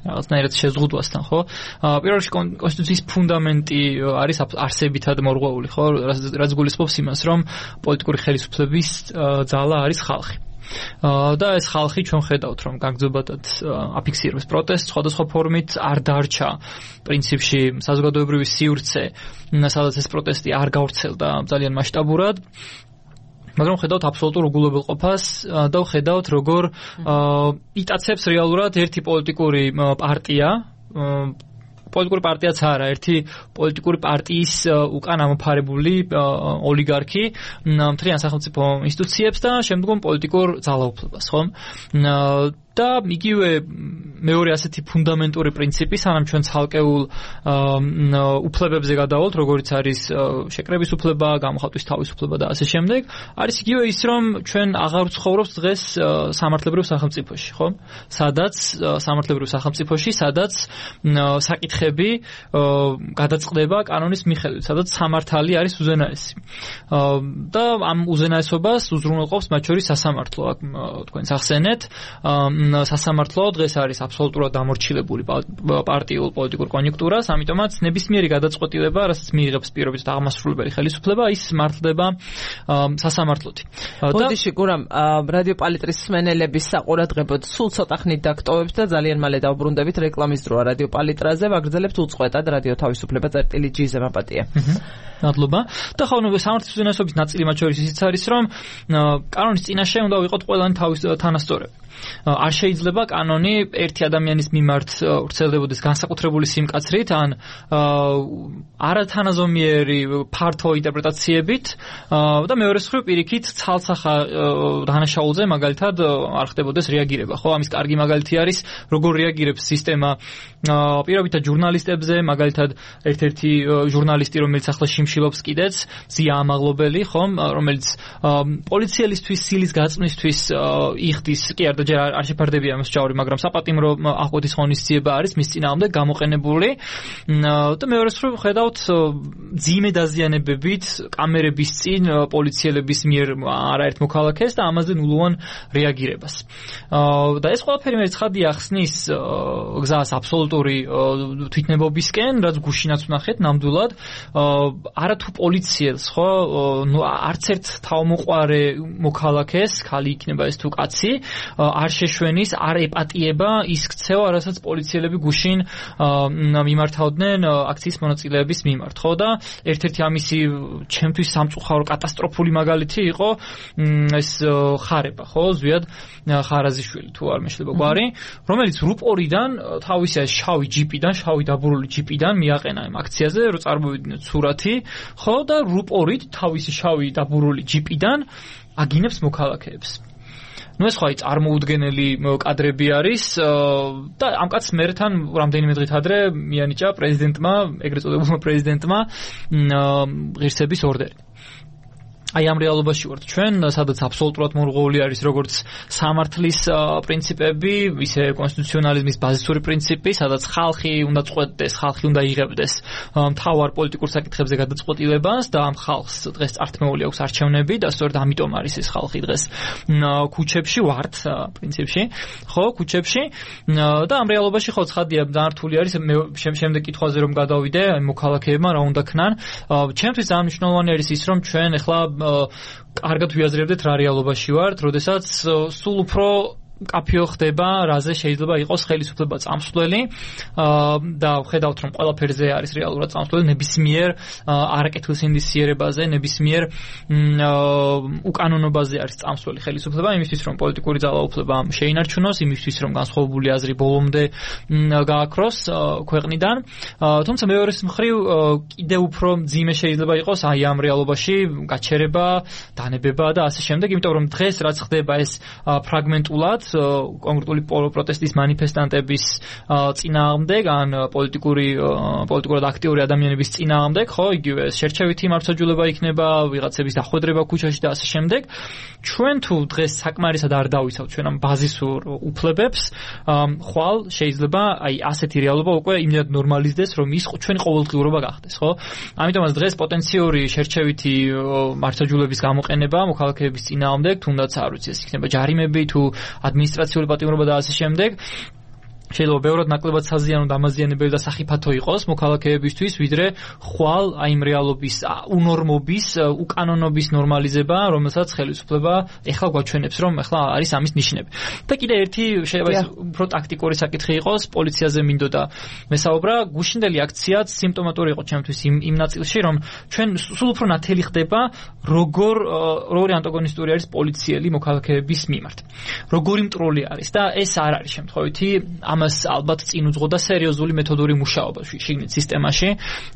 რაღაცნაირად შეზღუდვასთან, ხო? პირველ რიგში კონსტიტუციის ფუნდამენტი არის არსებითად მორღვეული, ხო? რაც გულისხმობს იმას, რომ პოლიტიკური ხელისუფლების ძალა არის ხალხი. და ეს ხალხი ჩვენ ხედავთ, რომ გაგრძობადად აფიქსირებს პროტესტს სხვადასხვა ფორმით, არ დარჩა პრინციპში საზოგადოებრივი სივრცე, სადაც ეს პროტესტი არ გავრცელდა ძალიან მასშტაბურად. მაგრამ ხედავთ აბსოლუტურ უგულებელყოფას და ხედავთ როგორ იტაცებს რეალურად ერთი პოლიტიკური პარტია, პოლიტიკური პარტიაც არა, ერთი პოლიტიკური პარტიის უკან ამოფარებული ოლიგარქი მთლიან სახელმწიფო ინსტიტუციებს და შემდგომ პოლიტიკურ ძალაუფლებას, ხო? და იგივე მეორე ასეთი ფუნდამენტური პრინციპი, სანამ ჩვენ ცალკეულ უფლებებზე გადავალთ, როგორიც არის შეკრების უფლება, გამოხატვის თავისუფლება და ასე შემდეგ, არის იგივე ის, რომ ჩვენ აღარ ვცხოვრობთ დღეს სამართლებრივ სახელმწიფოში, ხო? სადაც სამართლებრივ სახელმწიფოში, სადაც საკითხები გადაწყდება კანონის მიხედვით, სადაც სამართალი არის უზენაესი. და ამ უზენაესობას უზრუნველყოფს მათ შორის სასამართლო, აქ თქვენს ახსენეთ, სასამართლო დღეს არის აბსოლუტურად დამორჩილებული პარტიულ პოლიტიკურ კონიუნქტურას, ამიტომაც ნებისმიერი გადაწყვეტილება, რასაც მიიღებს პირობით აღმასრულებელი ხელისუფლება, ის მართლდება სასამართლოთი. ბოდიში გურამ რადიო პალიტრის მსმენელების საყურადღებოდ სულ ცოტა ხნით დაგტოვებთ და ძალიან მალე დავბრუნდებით რეკლამის დროა რადიო პალიტრაზე, ვაგრძელებთ უწყვეტად რადიო თავისუფლება წერტილი ჯი ზემაპატია. მადლობა. და ხო, ნუ სამართლის უზენაესობის ნაწილი მათ შორის ისიც არის, რომ კანონის წინაშე უნდა ვიყოთ ყველანი თავის თანასწორები. არ შეიძლება კანონი ერთი ადამიანის მიმართ ვრცელდებოდეს განსაკუთრებული სიმკაცრით ან არათანაზომიერი ფართო ინტერპრეტაციებით და მეორე მხრივ პირიქით ცალსახა დანაშაულზე მაგალითად არ ხდებოდეს რეაგირება, ხო? ამის კარგი მაგალითი არის როგორ რეაგირებს სისტემა პირობითად ჟურნალისტებზე, მაგალითად ერთ-ერთი ჟურნალისტი, რომელიც ახლა შიმშილობს კიდეც, ზია ამაღლობელი, ხომ, რომელიც პოლიციელისთვის სილის გაწმისთვის იხდის, კი არ და ჯერ არ შეფარდებია ამის ჯავრი, მაგრამ საპატიმრო აღკვეთის ღონისძიება არის მის წინააღმდეგ გამოყენებული და მეორე მხრივ ხედავთ ძიმე დაზიანებებით კამერების წინ პოლიციელების მიერ არაერთ მოქალაქეს და ამაზე ნულოვან რეაგირებას. და ეს ყველაფერი მე ცხადია ახსნის გზას აბსოლუტური თვითნებობისკენ, რაც გუშინაც ვნახეთ ნამდვილად, არათუ პოლიციელს, ხო, ნუ არც ერთ თავმოყარე მოქალაქეს, ხალი იქნება ეს თუ კაცი, არ შეშვენის, არ ეპატიება ის ქცევა, რასაც პოლიციელები გუშინ მიმართავდნენ აქციის მონაწილეების მიმართ, ხო? და ერთ-ერთი ამისი ჩემთვის სამწუხარო კატასტროფული მაგალითი იყო ეს ხარება, ხო? ზვიად ხარაზიშვილი თუ არ მეშლება გვარი, რომელიც რუპორიდან თავისი შავი ჯიპიდან, შავი დაბურული ჯიპიდან მიაყენა ამ აქციაზე, რომ წარმოვიდგინოთ სურათი, ხო? და რუპორით თავისი შავი დაბურული ჯიპიდან აგინებს მოქალაქეებს. ნუ ეს ხო აი წარმოუდგენელი კადრები არის და ამ კაცს მერთან რამდენიმე დღით ადრე მიანიჭა პრეზიდენტმა, ეგრეთ წოდებულმა პრეზიდენტმა ღირსების ორდერი. აი ამ რეალობაში ვართ ჩვენ, სადაც აბსოლუტურად მორღვეული არის როგორც სამართლის პრინციპები, ისე კონსტიტუციონალიზმის ბაზისური პრინციპი, სადაც ხალხი უნდა წყვეტდეს, ხალხი უნდა იღებდეს მთავარ პოლიტიკურ საკითხებზე გადაწყვეტილებას და ამ ხალხს დღეს წართმეული აქვს არჩევნები და სწორედ ამიტომ არის ეს ხალხი დღეს ქუჩებში ვართ პრინციპში, ხო, ქუჩებში და ამ რეალობაში ხო ცხადია დართული არის შემდეგ კითხვაზე რომ გადავიდე, აი მოქალაქეებმა რა უნდა ქნან. ჩემთვის ძალიან მნიშვნელოვანი არის ის რომ ჩვენ ახლა კარგად ვიაზრებდეთ რა რეალობაში ვართ, როდესაც სულ უფრო კაფეო ხდება, რაზე შეიძლება იყოს ხელისუფლება წამსვლელი და ხედავთ რომ ყველაფერზე არის რეალურად წამსვლელი ნებისმიერ არაკეთილსინდისიერებაზე, ნებისმიერ უკანონობაზე არის წამსვლელი ხელისუფლება, იმისთვის რომ პოლიტიკური ძალაუფლება შეინარჩუნოს, იმისთვის რომ განსხვავებული აზრი ბოლომდე გააქროს ქვეყნიდან. თუმცა მეორე მხრივ კიდევ უფრო მძიმე შეიძლება იყოს აი ამ რეალობაში გაჩერება, დანებება და ასე შემდეგ, იმიტომ რომ დღეს რაც ხდება ეს ფრაგმენტულად კონკრეტული პროტესტის მანიფესტანტების წინააღმდეგ ან პოლიტიკური პოლიტიკურად აქტიური ადამიანების წინააღმდეგ, ხო, იგივე შერჩევითი მართლმსაჯულება იქნება, ვიღაცების დახვედრება ქუჩაში და ასე შემდეგ. ჩვენ თუ დღეს საკმარისად არ დავიცავთ ჩვენ ამ ბაზისურ უფლებებს, ხვალ შეიძლება აი ასეთი რეალობა უკვე იმდენად ნორმალიზდეს, რომ ის ჩვენი ყოველდღიურობა გახდეს, ხო? ამიტომაც დღეს პოტენციური შერჩევითი მართლმსაჯულების გამოყენება მოქალაქეების წინააღმდეგ, თუნდაც არ ვიცი, ეს იქნება ჯარიმები თუ ადმინისტრაციული პატიმრობა და ასე შემდეგ. შეიძლება ბევრად ნაკლებად საზიანო და ამაზიანებელი და სახიფათო იყოს მოქალაქეებისთვის, ვიდრე ხვალ აი იმ რეალობის უნორმობის, უკანონობის ნორმალიზება, რომელსაც ხელისუფლება ეხლა გვაჩვენებს, რომ ეხლა არის ამის ნიშნები. და კიდე ერთი შეიძლება ის უფრო ტაქტიკური საკითხი იყოს, პოლიციაზე მინდოდა მესაუბრა, გუშინდელი აქციაც სიმპტომატური იყო ჩემთვის იმ იმ ნაწილში, რომ ჩვენ სულ უფრო ნათელი ხდება, როგორ როგორი ანტაგონისტური არის პოლიციელი მოქალაქეების მიმართ. როგორი მტრული არის და ეს არ არის შემთხვევითი ამას ალბათ წინ უძღოდა სერიოზული მეთოდური მუშაობა შიგნით სისტემაში,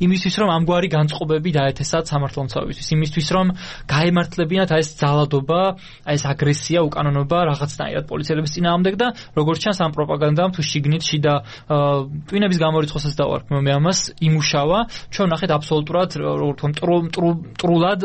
იმისთვის რომ ამგვარი განწყობები დაეთესათ სამართლომცავებისთვის, იმისთვის რომ გაემართლებინათ აი ეს ძალადობა, აი ეს აგრესია, უკანონობა რაღაცნაირად პოლიციელების წინააღმდეგ და როგორც ჩანს ამ პროპაგანდამ თუ შიგნით შიდა ტვინების გამორიცხვასაც დავარქმევ მე ამას იმუშავა, ჩვენ ნახეთ აბსოლუტურად როგორ თქვა მტრულად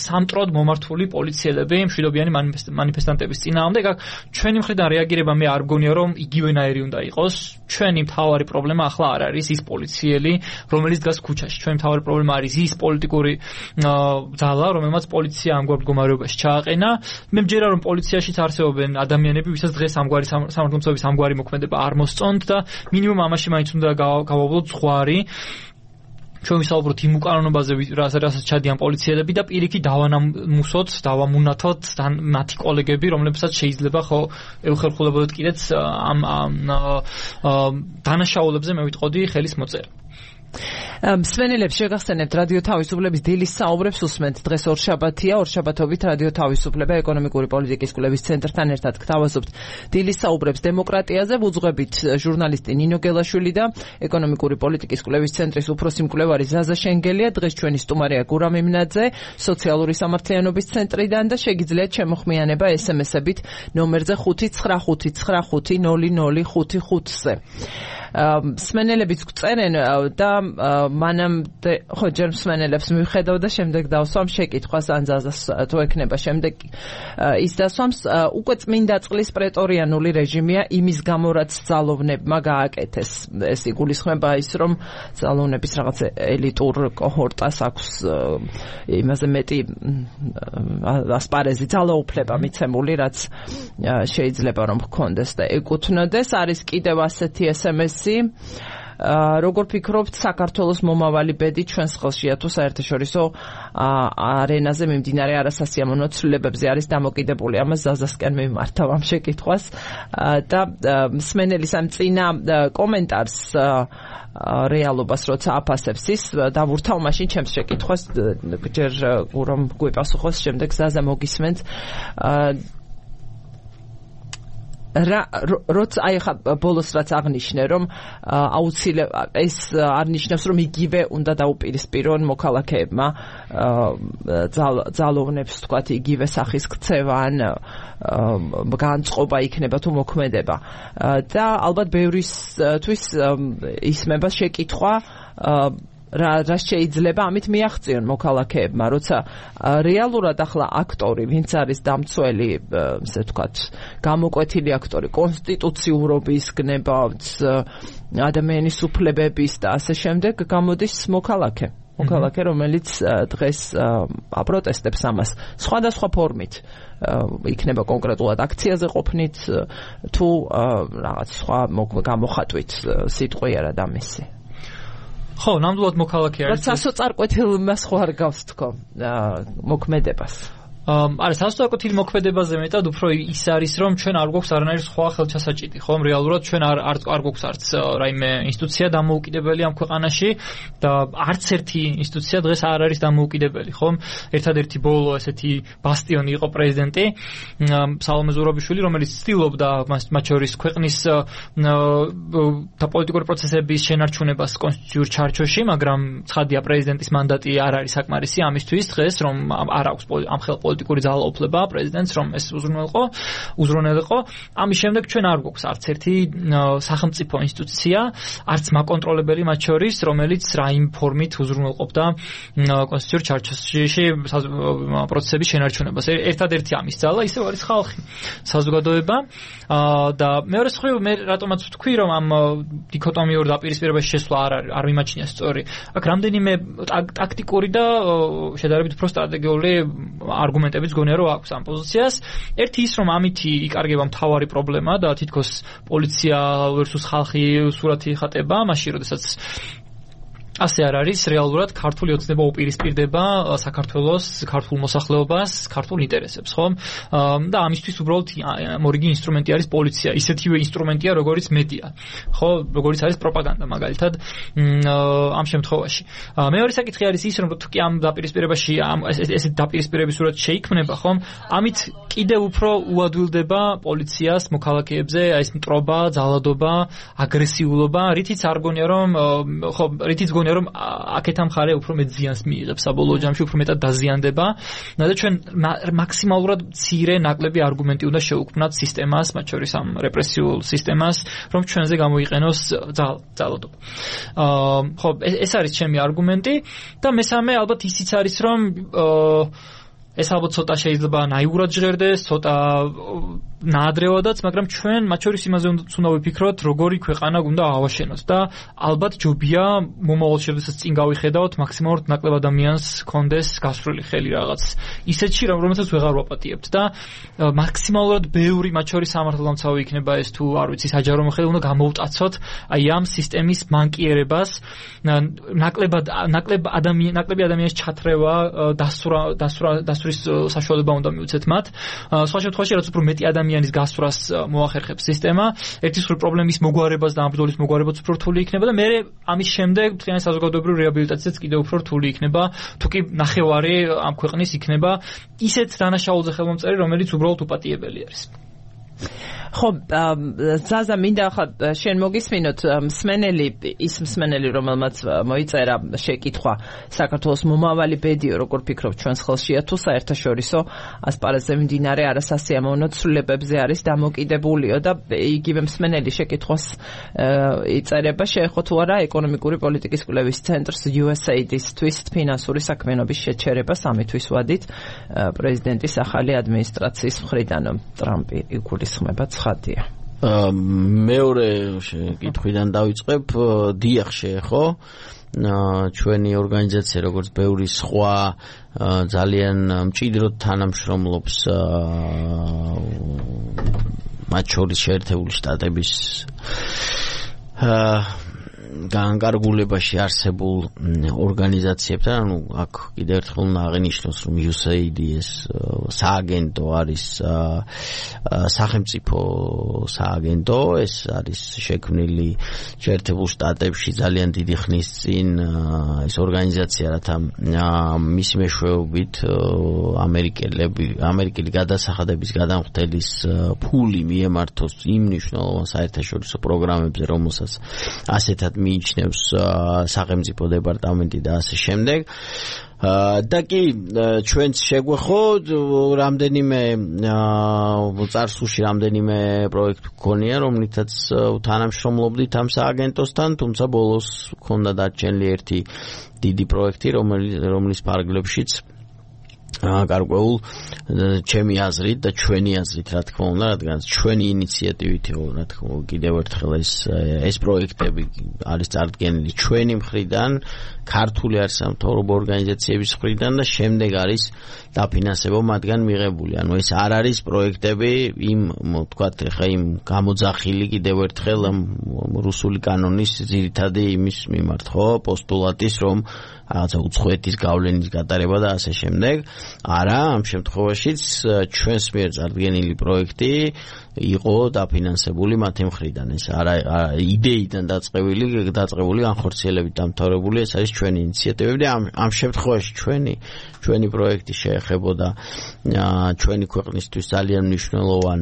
სამტროდ მომართული პოლიციელები მშვიდობიანი მანიფესტანტების წინააღმდეგ. აქ ჩვენი მხრიდან რეაგირება მე არ მგონია რომ იგივენაირი უნდა იყოს. ჩვენი მთავარი პრობლემა ახლა არ არის ის პოლიციელი, რომელიც დგას ქუჩაში. ჩვენი მთავარი პრობლემა არის ის პოლიტიკური ძალა, რომელმაც პოლიცია ამგვარ მდგომარეობაში ჩააყენა. მე მჯერა რომ პოლიციაშიც არსებობენ ადამიანები, ვისაც დღეს ამგვარი სამართლომცავების ამგვარი მოქმედება არ მოსწონთ და მინიმუმ ამაში მაინც უნდა გავავლოთ ზღვარი. ჩვენ ვისაუბროთ იმ უკანონობაზე, რასაც ჩადიან პოლიციელები და პირიქით დავანამუსოთ, დავამუნათოთ მათი კოლეგები, რომლებსაც შეიძლება ხო ეხერხულებოდეთ კიდეც ამ დანაშაულებზე მე ვიტყოდი ხელის მოწერა. მსმენელებს შეგახსენებთ რადიო თავისუფლების დილის საუბრებს უსმენთ. დღეს ორშაბათია, ორშაბათობით რადიო თავისუფლება ეკონომიკური პოლიტიკის კვლევის ცენტრთან ერთად გთავაზობთ დილის საუბრებს დემოკრატიაზე. ვუძღვებით ჟურნალისტი ნინო გელაშვილი და ეკონომიკური პოლიტიკის კვლევის ცენტრის უფროსი მკვლევარი ზაზა შენგელია. დღეს ჩვენი სტუმარია გურა მიმნაძე სოციალური სამართლიანობის ცენტრიდან და შეგიძლიათ შემოხმიანება ესემესებით ნომერზე ხუთი ცხრა ხუთი ცხრა ხუთი ნული ნული ხუთი ხუთზე. მსმენელებიც გწერენ და მანამდე ხო ჯერ მსმენელებს მივხედავ და შემდეგ დავსვამ შეკითხვას ან ზაზას თუ ექნება შემდეგ ის დასვამს. უკვე წმინდა წყლის პრეტორიანული რეჟიმია იმის გამო რაც ძალოვნებმა გააკეთეს. ეს იგულისხმება ის რომ ძალოვნების რაღაც ელიტურ კოჰორტას აქვს იმაზე მეტი ასპარეზი ძალაუფლება მიცემული, რაც შეიძლება რომ ჰქონდეს და ეკუთვნოდეს. არის კიდევ ასეთი ესემესი როგორ ფიქრობთ საქართველოს მომავალი ბედი ჩვენს ხელშია თუ საერთაშორისო არენაზე მიმდინარე არასასიამოვნო ცვლილებებზე არის დამოკიდებული? ამას ზაზასკენ მიმართავ ამ შეკითხვას და მსმენელის ამ წინა კომენტარს რეალობას როცა აფასებს ის დავურთავ მაშინ ჩემს შეკითხვას ჯერ რომ გვიპასუხოს, შემდეგ ზაზა მოგისმენთ. რა როცა აი ხა ბოლოს რაც აღნიშნე რომ აუცილებლად ეს არ ნიშნავს რომ იგივე უნდა დაუპირისპირონ მოქალაქეებმა ძალოვნებს თქვათ იგივე სახის ქცევა ან განწყობა იქნება თუ მოქმედება და ალბათ ბევრისთვის ისმება შეკითხვა რა რა შეიძლება ამით მიაღწიონ მოქალაქეებმა, როცა რეალურად ახლა აქტორი, ვინც არის დამცველი, ესე ვთქვათ, გამოკვეთილი აქტორი, კონსტიტუციურობის გნებავთ, ადამიანის უფლებების და ასე შემდეგ, გამოდის მოქალაქე. მოქალაქე, რომელიც დღეს აპროტესტებს ამას სხვადასხვა ფორმით. იქნება კონკრეტულად აქციაზე ყოფნით თუ რაღაც სხვა გამოხატვით სიტყვი არა და მისი. ხო, ნამდვილად მოქალაქე არის. რაც სასოწარკვეთილ მას ხო არ გავს თქო მოქმედებას. არა, სასოწარკვეთილი მოქმედებაზე მეტად უფრო ის არის, რომ ჩვენ არ გვაქვს არანაირი სხვა ხელჩასაჭიდი, ხო? რეალურად ჩვენ არ არ არ გვაქვს არც რაიმე ინსტიტუცია დამოუკიდებელი ამ ქვეყანაში და არც ერთი ინსტიტუცია დღეს არ არის დამოუკიდებელი, ხო? ერთადერთი ბოლო ესეთი ბასტიონი იყო პრეზიდენტი სალომე ზურაბიშვილი, რომელიც ცდილობდა მათ შორის ქვეყნის და პოლიტიკური პროცესების შენარჩუნებას კონსტიტუციურ ჩარჩოში, მაგრამ ცხადია პრეზიდენტის მანდატი არ არის საკმარისი ამისთვის დღეს, რომ არ აქვს ამ ხელ პოლიტიკური ძალაუფლება პრეზიდენტს რომ ეს უზრუნველყო, უზრუნველყო. ამის შემდეგ ჩვენ არ გვაქვს არც ერთი სახელმწიფო ინსტიტუცია, არც მაკონტროლებელი მათ შორის, რომელიც რაიმ ფორმით უზრუნველყოფდა კონსტიტუციურ ჩარჩოში პროცესების შენარჩუნებას. ერთადერთი ამის ძალა ისევ არის ხალხი, საზოგადოება და მეორე მხრივ მე რატომაც ვთქვი რომ ამ დიქოტომიურ დაპირისპირებაში შესვლა არ არ მიმაჩნია სწორი. აქ რამდენიმე ტაქტიკური და შედარებით უფრო სტრატეგიული არგუმენტებიც გონია რომ აქვს ამ პოზიციას. ერთი ის რომ ამითი იკარგება მთავარი პრობლემა და თითქოს პოლიცია versus ხალხი სურათი იხატება, მაშინ როდესაც ასე არ არის რეალურად ქართული ოცნება უპირისპირდება საქართველოს ქართულ მოსახლეობას, ქართულ ინტერესებს, ხო? და ამისთვის უბრალოდ მორიგი ინსტრუმენტი არის პოლიცია, ისეთივე ინსტრუმენტია, როგორც მედია, ხო? როგორც არის პროპაგანდა, მაგალითად, ამ შემთხვევაში. მეორე საკითხი არის ის, რომ თუ კი ამ დაპირისპირებაში ამ ესეთ დაპირისპირების სურათი შეიქმნება, ხო? ამით კიდევ უფრო უადვილდება პოლიციას მოქალაქეებზე ეს მტრობა, ძალადობა, აგრესიულობა, რითიც არ გონია რომ ხო, რითიც გონია რომ აქეთა მხარე უფრო მეტ ზიანს მიიღებს საბოლოო ჯამში, უფრო მეტად დაზიანდება და ჩვენ მაქსიმალურად მცირე ნაკლები არგუმენტი უნდა შევუქმნათ სისტემას, მათ შორის ამ რეპრესიულ სისტემას, რომ ჩვენზე გამოიყენოს ძალადობა. ხო, ეს არის ჩემი არგუმენტი და მესამე ალბათ ისიც არის რომ ეს ალბათ ცოტა შეიძლება ნაიურად ჟღერდეს, ცოტა ნაადრევადაც, მაგრამ ჩვენ მათ შორის იმაზე უნდა ვიფიქროთ, როგორი ქვეყანა უნდა ავაშენოთ და ალბათ ჯობია მომავალში როდესაც წინ გავიხედავთ, მაქსიმალურად ნაკლებ ადამიანს კონდეს გასწრული ხელი რაღაც ისეთში, რომელსაც ვეღარ ვაპატიებთ და მაქსიმალურად ბევრი მათ შორის სამართალდამცავი იქნება ეს თუ არ ვიცი საჯარო მოხელე უნდა გამოვტაცოთ აი ამ სისტემის მანკიერებას, ნაკლებად ნაკლებ ადამიან ნაკლები ადამიანის ჩათრევა, დასურა დასურა დასურის საშუალება უნდა მივუცეთ მათ. სხვა შემთხვევაში რაც უფრო მეტი ადამიანის გასვრას მოახერხებს სისტემა, ერთის მხრივ პრობლემის მოგვარებას და ამ ბრძოლის მოგვარებაც უფრო რთული იქნება და მერე ამის შემდეგ მთლიანი საზოგადოებრივი რეაბილიტაციაც კიდევ უფრო რთული იქნება, თუ კი ნახევარი ამ ქვეყნის იქნება ისეთ დანაშაულზე ხელმომწერი, რომელიც უბრალოდ უპატიებელი არის. ხო, ზაზა მინდა ახლა შენ მოგისმინოთ მსმენელი, ის მსმენელი, რომელმაც მოიწერა შეკითხვა საქართველოს მომავალი ბედიო, როგორ ფიქრობ ჩვენს ხელშია თუ საერთაშორისო ასპარეზზე მიმდინარე არასასიამოვნო ცვლილებებზე არის დამოკიდებულიო და იგივე მსმენელი შეკითხვას იწერება, შეეხო თუ არა ეკონომიკური პოლიტიკის კვლევის ცენტრს იუ ეს ეი დი-ისთვის ფინანსური საქმიანობის შეჩერება სამი თვის ვადით პრეზიდენტის ახალი ადმინისტრაციის მხრიდან. ტრამპი იგულისხმება ცხადია. მეორე კითხვიდან დავიწყებ, დიახ შეეხო ჩვენი ორგანიზაცია როგორც ბევრი სხვა ძალიან მჭიდროდ თანამშრომლობს მათ შორის შეერთებული შტატების განკარგულებაში არსებულ ორგანიზაციებთან, ანუ აქ კიდევ ერთხელ უნდა აღინიშნოს, რომ იუ ეს ეი დი ეს სააგენტო არის სახელმწიფო სააგენტო, ეს არის შექმნილი შეერთებულ შტატებში ძალიან დიდი ხნის წინ ეს ორგანიზაცია, რათა მისი მეშვეობით ამერიკელები ამერიკელი გადასახადების გადამხდელის ფული მიემართოს იმ მნიშვნელოვან საერთაშორისო პროგრამებზე, რომელსაც ასეთად მიიჩნევს სახელმწიფო დეპარტამენტი და ასე შემდეგ. და კი ჩვენც შეგვეხოთ რამდენიმე წარსულში რამდენიმე პროექტი გქონია, რომლითაც თანამშრომლობდით ამ სააგენტოსთან, თუმცა ბოლოს გქონდა დარჩენილი ერთი დიდი პროექტი, რომლის ფარგლებშიც გარკვეულ ჩემი აზრით და ჩვენი აზრით, რა თქმა უნდა, რადგან ჩვენი ინიციატივით, რა თქმა უნდა, კიდევ ერთხელ ეს ეს პროექტები არის წარდგენილი ჩვენი მხრიდან, ქართული არასამთავრობო ორგანიზაციების მხრიდან და შემდეგ არის დაფინანსება მათგან მიღებული. ანუ ეს არ არის პროექტები იმ, ვთქვათ, ხა იმ გამოძახილი კიდევ ერთხელ რუსული კანონის ძირითადი იმის მიმართ, ხო, პოსტულატის, რომ რაღაცა უცხოეთის გავლენის გატარება და ასე შემდეგ. არა, ამ შემთხვევაშიც ჩვენს მიერ წარდგენილი პროექტი იყო დაფინანსებული მათი მხრიდან. ეს არა იდეიდან დაწყებული, დაწყებული განხორციელებით დამთავრებული, ეს არის ჩვენი ინიციატივები და ამ ამ შემთხვევაში ჩვენი ჩვენი პროექტი შეეხებოდა ჩვენი ქვეყნისთვის ძალიან მნიშვნელოვან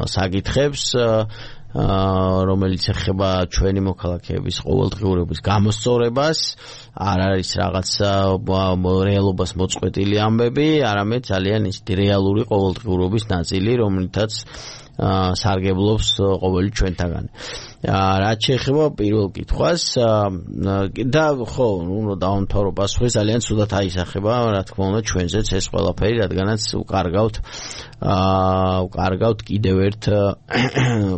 საკითხებს რომელიც ეხება ჩვენი მოქალაქეების ყოველდღიურობის გამოსწორებას, არ არის რაღაცა რეალობას მოწყვეტილი ამბები, არამედ ძალიან ისეთი რეალური ყოველდღიურობის ნაწილი, რომლითაც სარგებლობს ყოველი ჩვენთაგან. რაც შეეხება პირველ კითხვას და ხო, ნუ დავამთავრო პასუხი, ძალიან ცუდად აისახება, რა თქმა უნდა, ჩვენზეც ეს ყველაფერი, რადგანაც უკარგავთ უკარგავთ კიდევ ერთ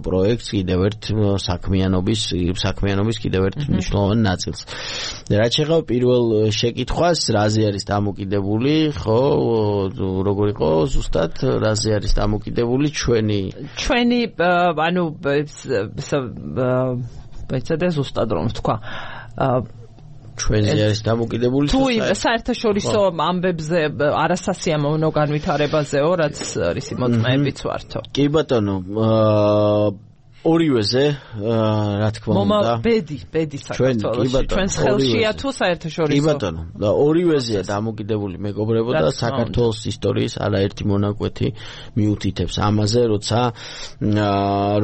პროექტს, კიდევ ერთ საქმიანობის საქმიანობის კიდევ ერთ მნიშვნელოვან ნაწილს. რაც შეეხება პირველ შეკითხვას, რაზე არის დამოკიდებული, ხო, როგორ იყო ზუსტად, რაზე არის დამოკიდებული ჩვენი ჩვენი ანუ ეცადე ზუსტად რომ თქვა ჩვენზე არის დამოკიდებული თუ საერთაშორისო ამბებზე არასასიამოვნო განვითარებაზეო, რაც არის მოწმეებიც ვართო. კი ბატონო, ორივეზე რა თქმა უნდა მომა ბედი ბედი საქართველოში ჩვენს ხელშია თუ საერთაშორისო კი ბატონო და ორივეზეა დამოკიდებული მეგობრებო და საქართველოს ისტორიის არაერთი მონაკვეთი მიუთითებს ამაზე, როცა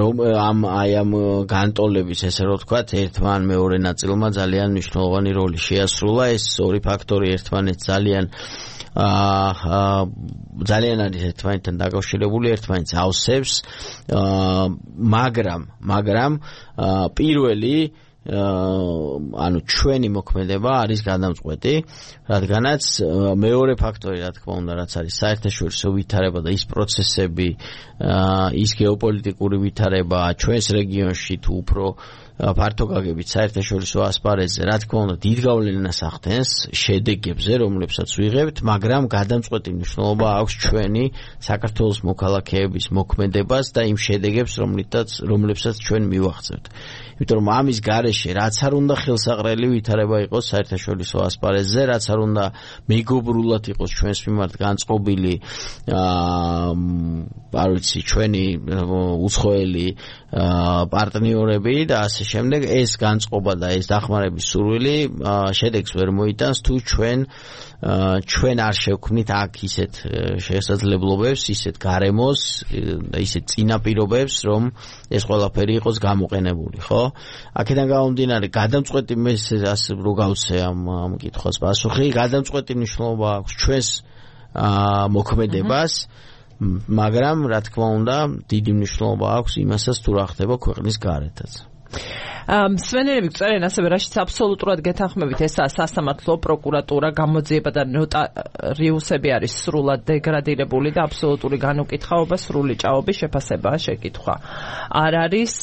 რომ ამ აი ამ განტოლების ესე რომ ვთქვათ ერთმა ან მეორე ნაწილმა ძალიან მნიშვნელოვანი როლი შეასრულა. ეს ორი ფაქტორი ერთმანეთს ძალიან აა ძალიან არის ერთმანეთთან დაკავშირებული, ერთმანეთს ავსებს, მაგრამ მაგრამ პირველი ანუ ჩვენი მოქმედება არის გადამწყვეტი, რადგანაც მეორე ფაქტორი, რა თქმა უნდა, რაც არის საერთაშორისო ვითარება და ის პროცესები, ის გეოპოლიტიკური ვითარება ჩვენს რეგიონში თუ უფრო ფართო გაგებით საერთაშორისო ასპარეზზე, რა თქმა უნდა, დიდ გავლენას ახდენს შედეგებზე, რომლებსაც ვიღებთ, მაგრამ გადამწყვეტი მნიშვნელობა აქვს ჩვენი საქართველოს მოქალაქეების მოქმედებას და იმ შედეგებს, რომლითაც რომლებსაც ჩვენ მივახცევთ. იმიტომ რომ ამის გარეშე რაც არ უნდა ხელსაყრელი ვითარება იყოს საერთაშორისო ასპარეზზე, რაც არ უნდა მეგობრულად იყოს ჩვენს მიმართ განწყობილი აა არ ვიცი ჩვენი უცხოელი პარტნიორები და ასე შემდეგ, ეს განწყობა და ეს დახმარების სურვილი შედეგს ვერ მოიტანს თუ ჩვენ ჩვენ არ შევქმნით აქ ისეთ შესაძლებლობებს, ისეთ გარემოს და ისეთ წინაპირობებს, რომ ეს ყველაფერი იყოს გამოყენებული, ხო? აქედან გამომდინარე, გადამწყვეტი მე ასე რო გავცე ამ ამ კითხვას პასუხი, გადამწყვეტი მნიშვნელობა აქვს ჩვენს მოქმედებას, მაგრამ რა თქმა უნდა, დიდი მნიშვნელობა აქვს იმასაც თუ რა ხდება ქვეყნის გარეთაც. მსმენელები წერენ ასევე, რაშიც აბსოლუტურად გეთანხმებით, ესაა სასამართლო, პროკურატურა, გამოძიება და ნოტარიუსები არის სრულად დეგრადირებული და აბსოლუტური განუკითხაობა, სრული ჭაობის შეფასებაა შეკითხვა. არ არის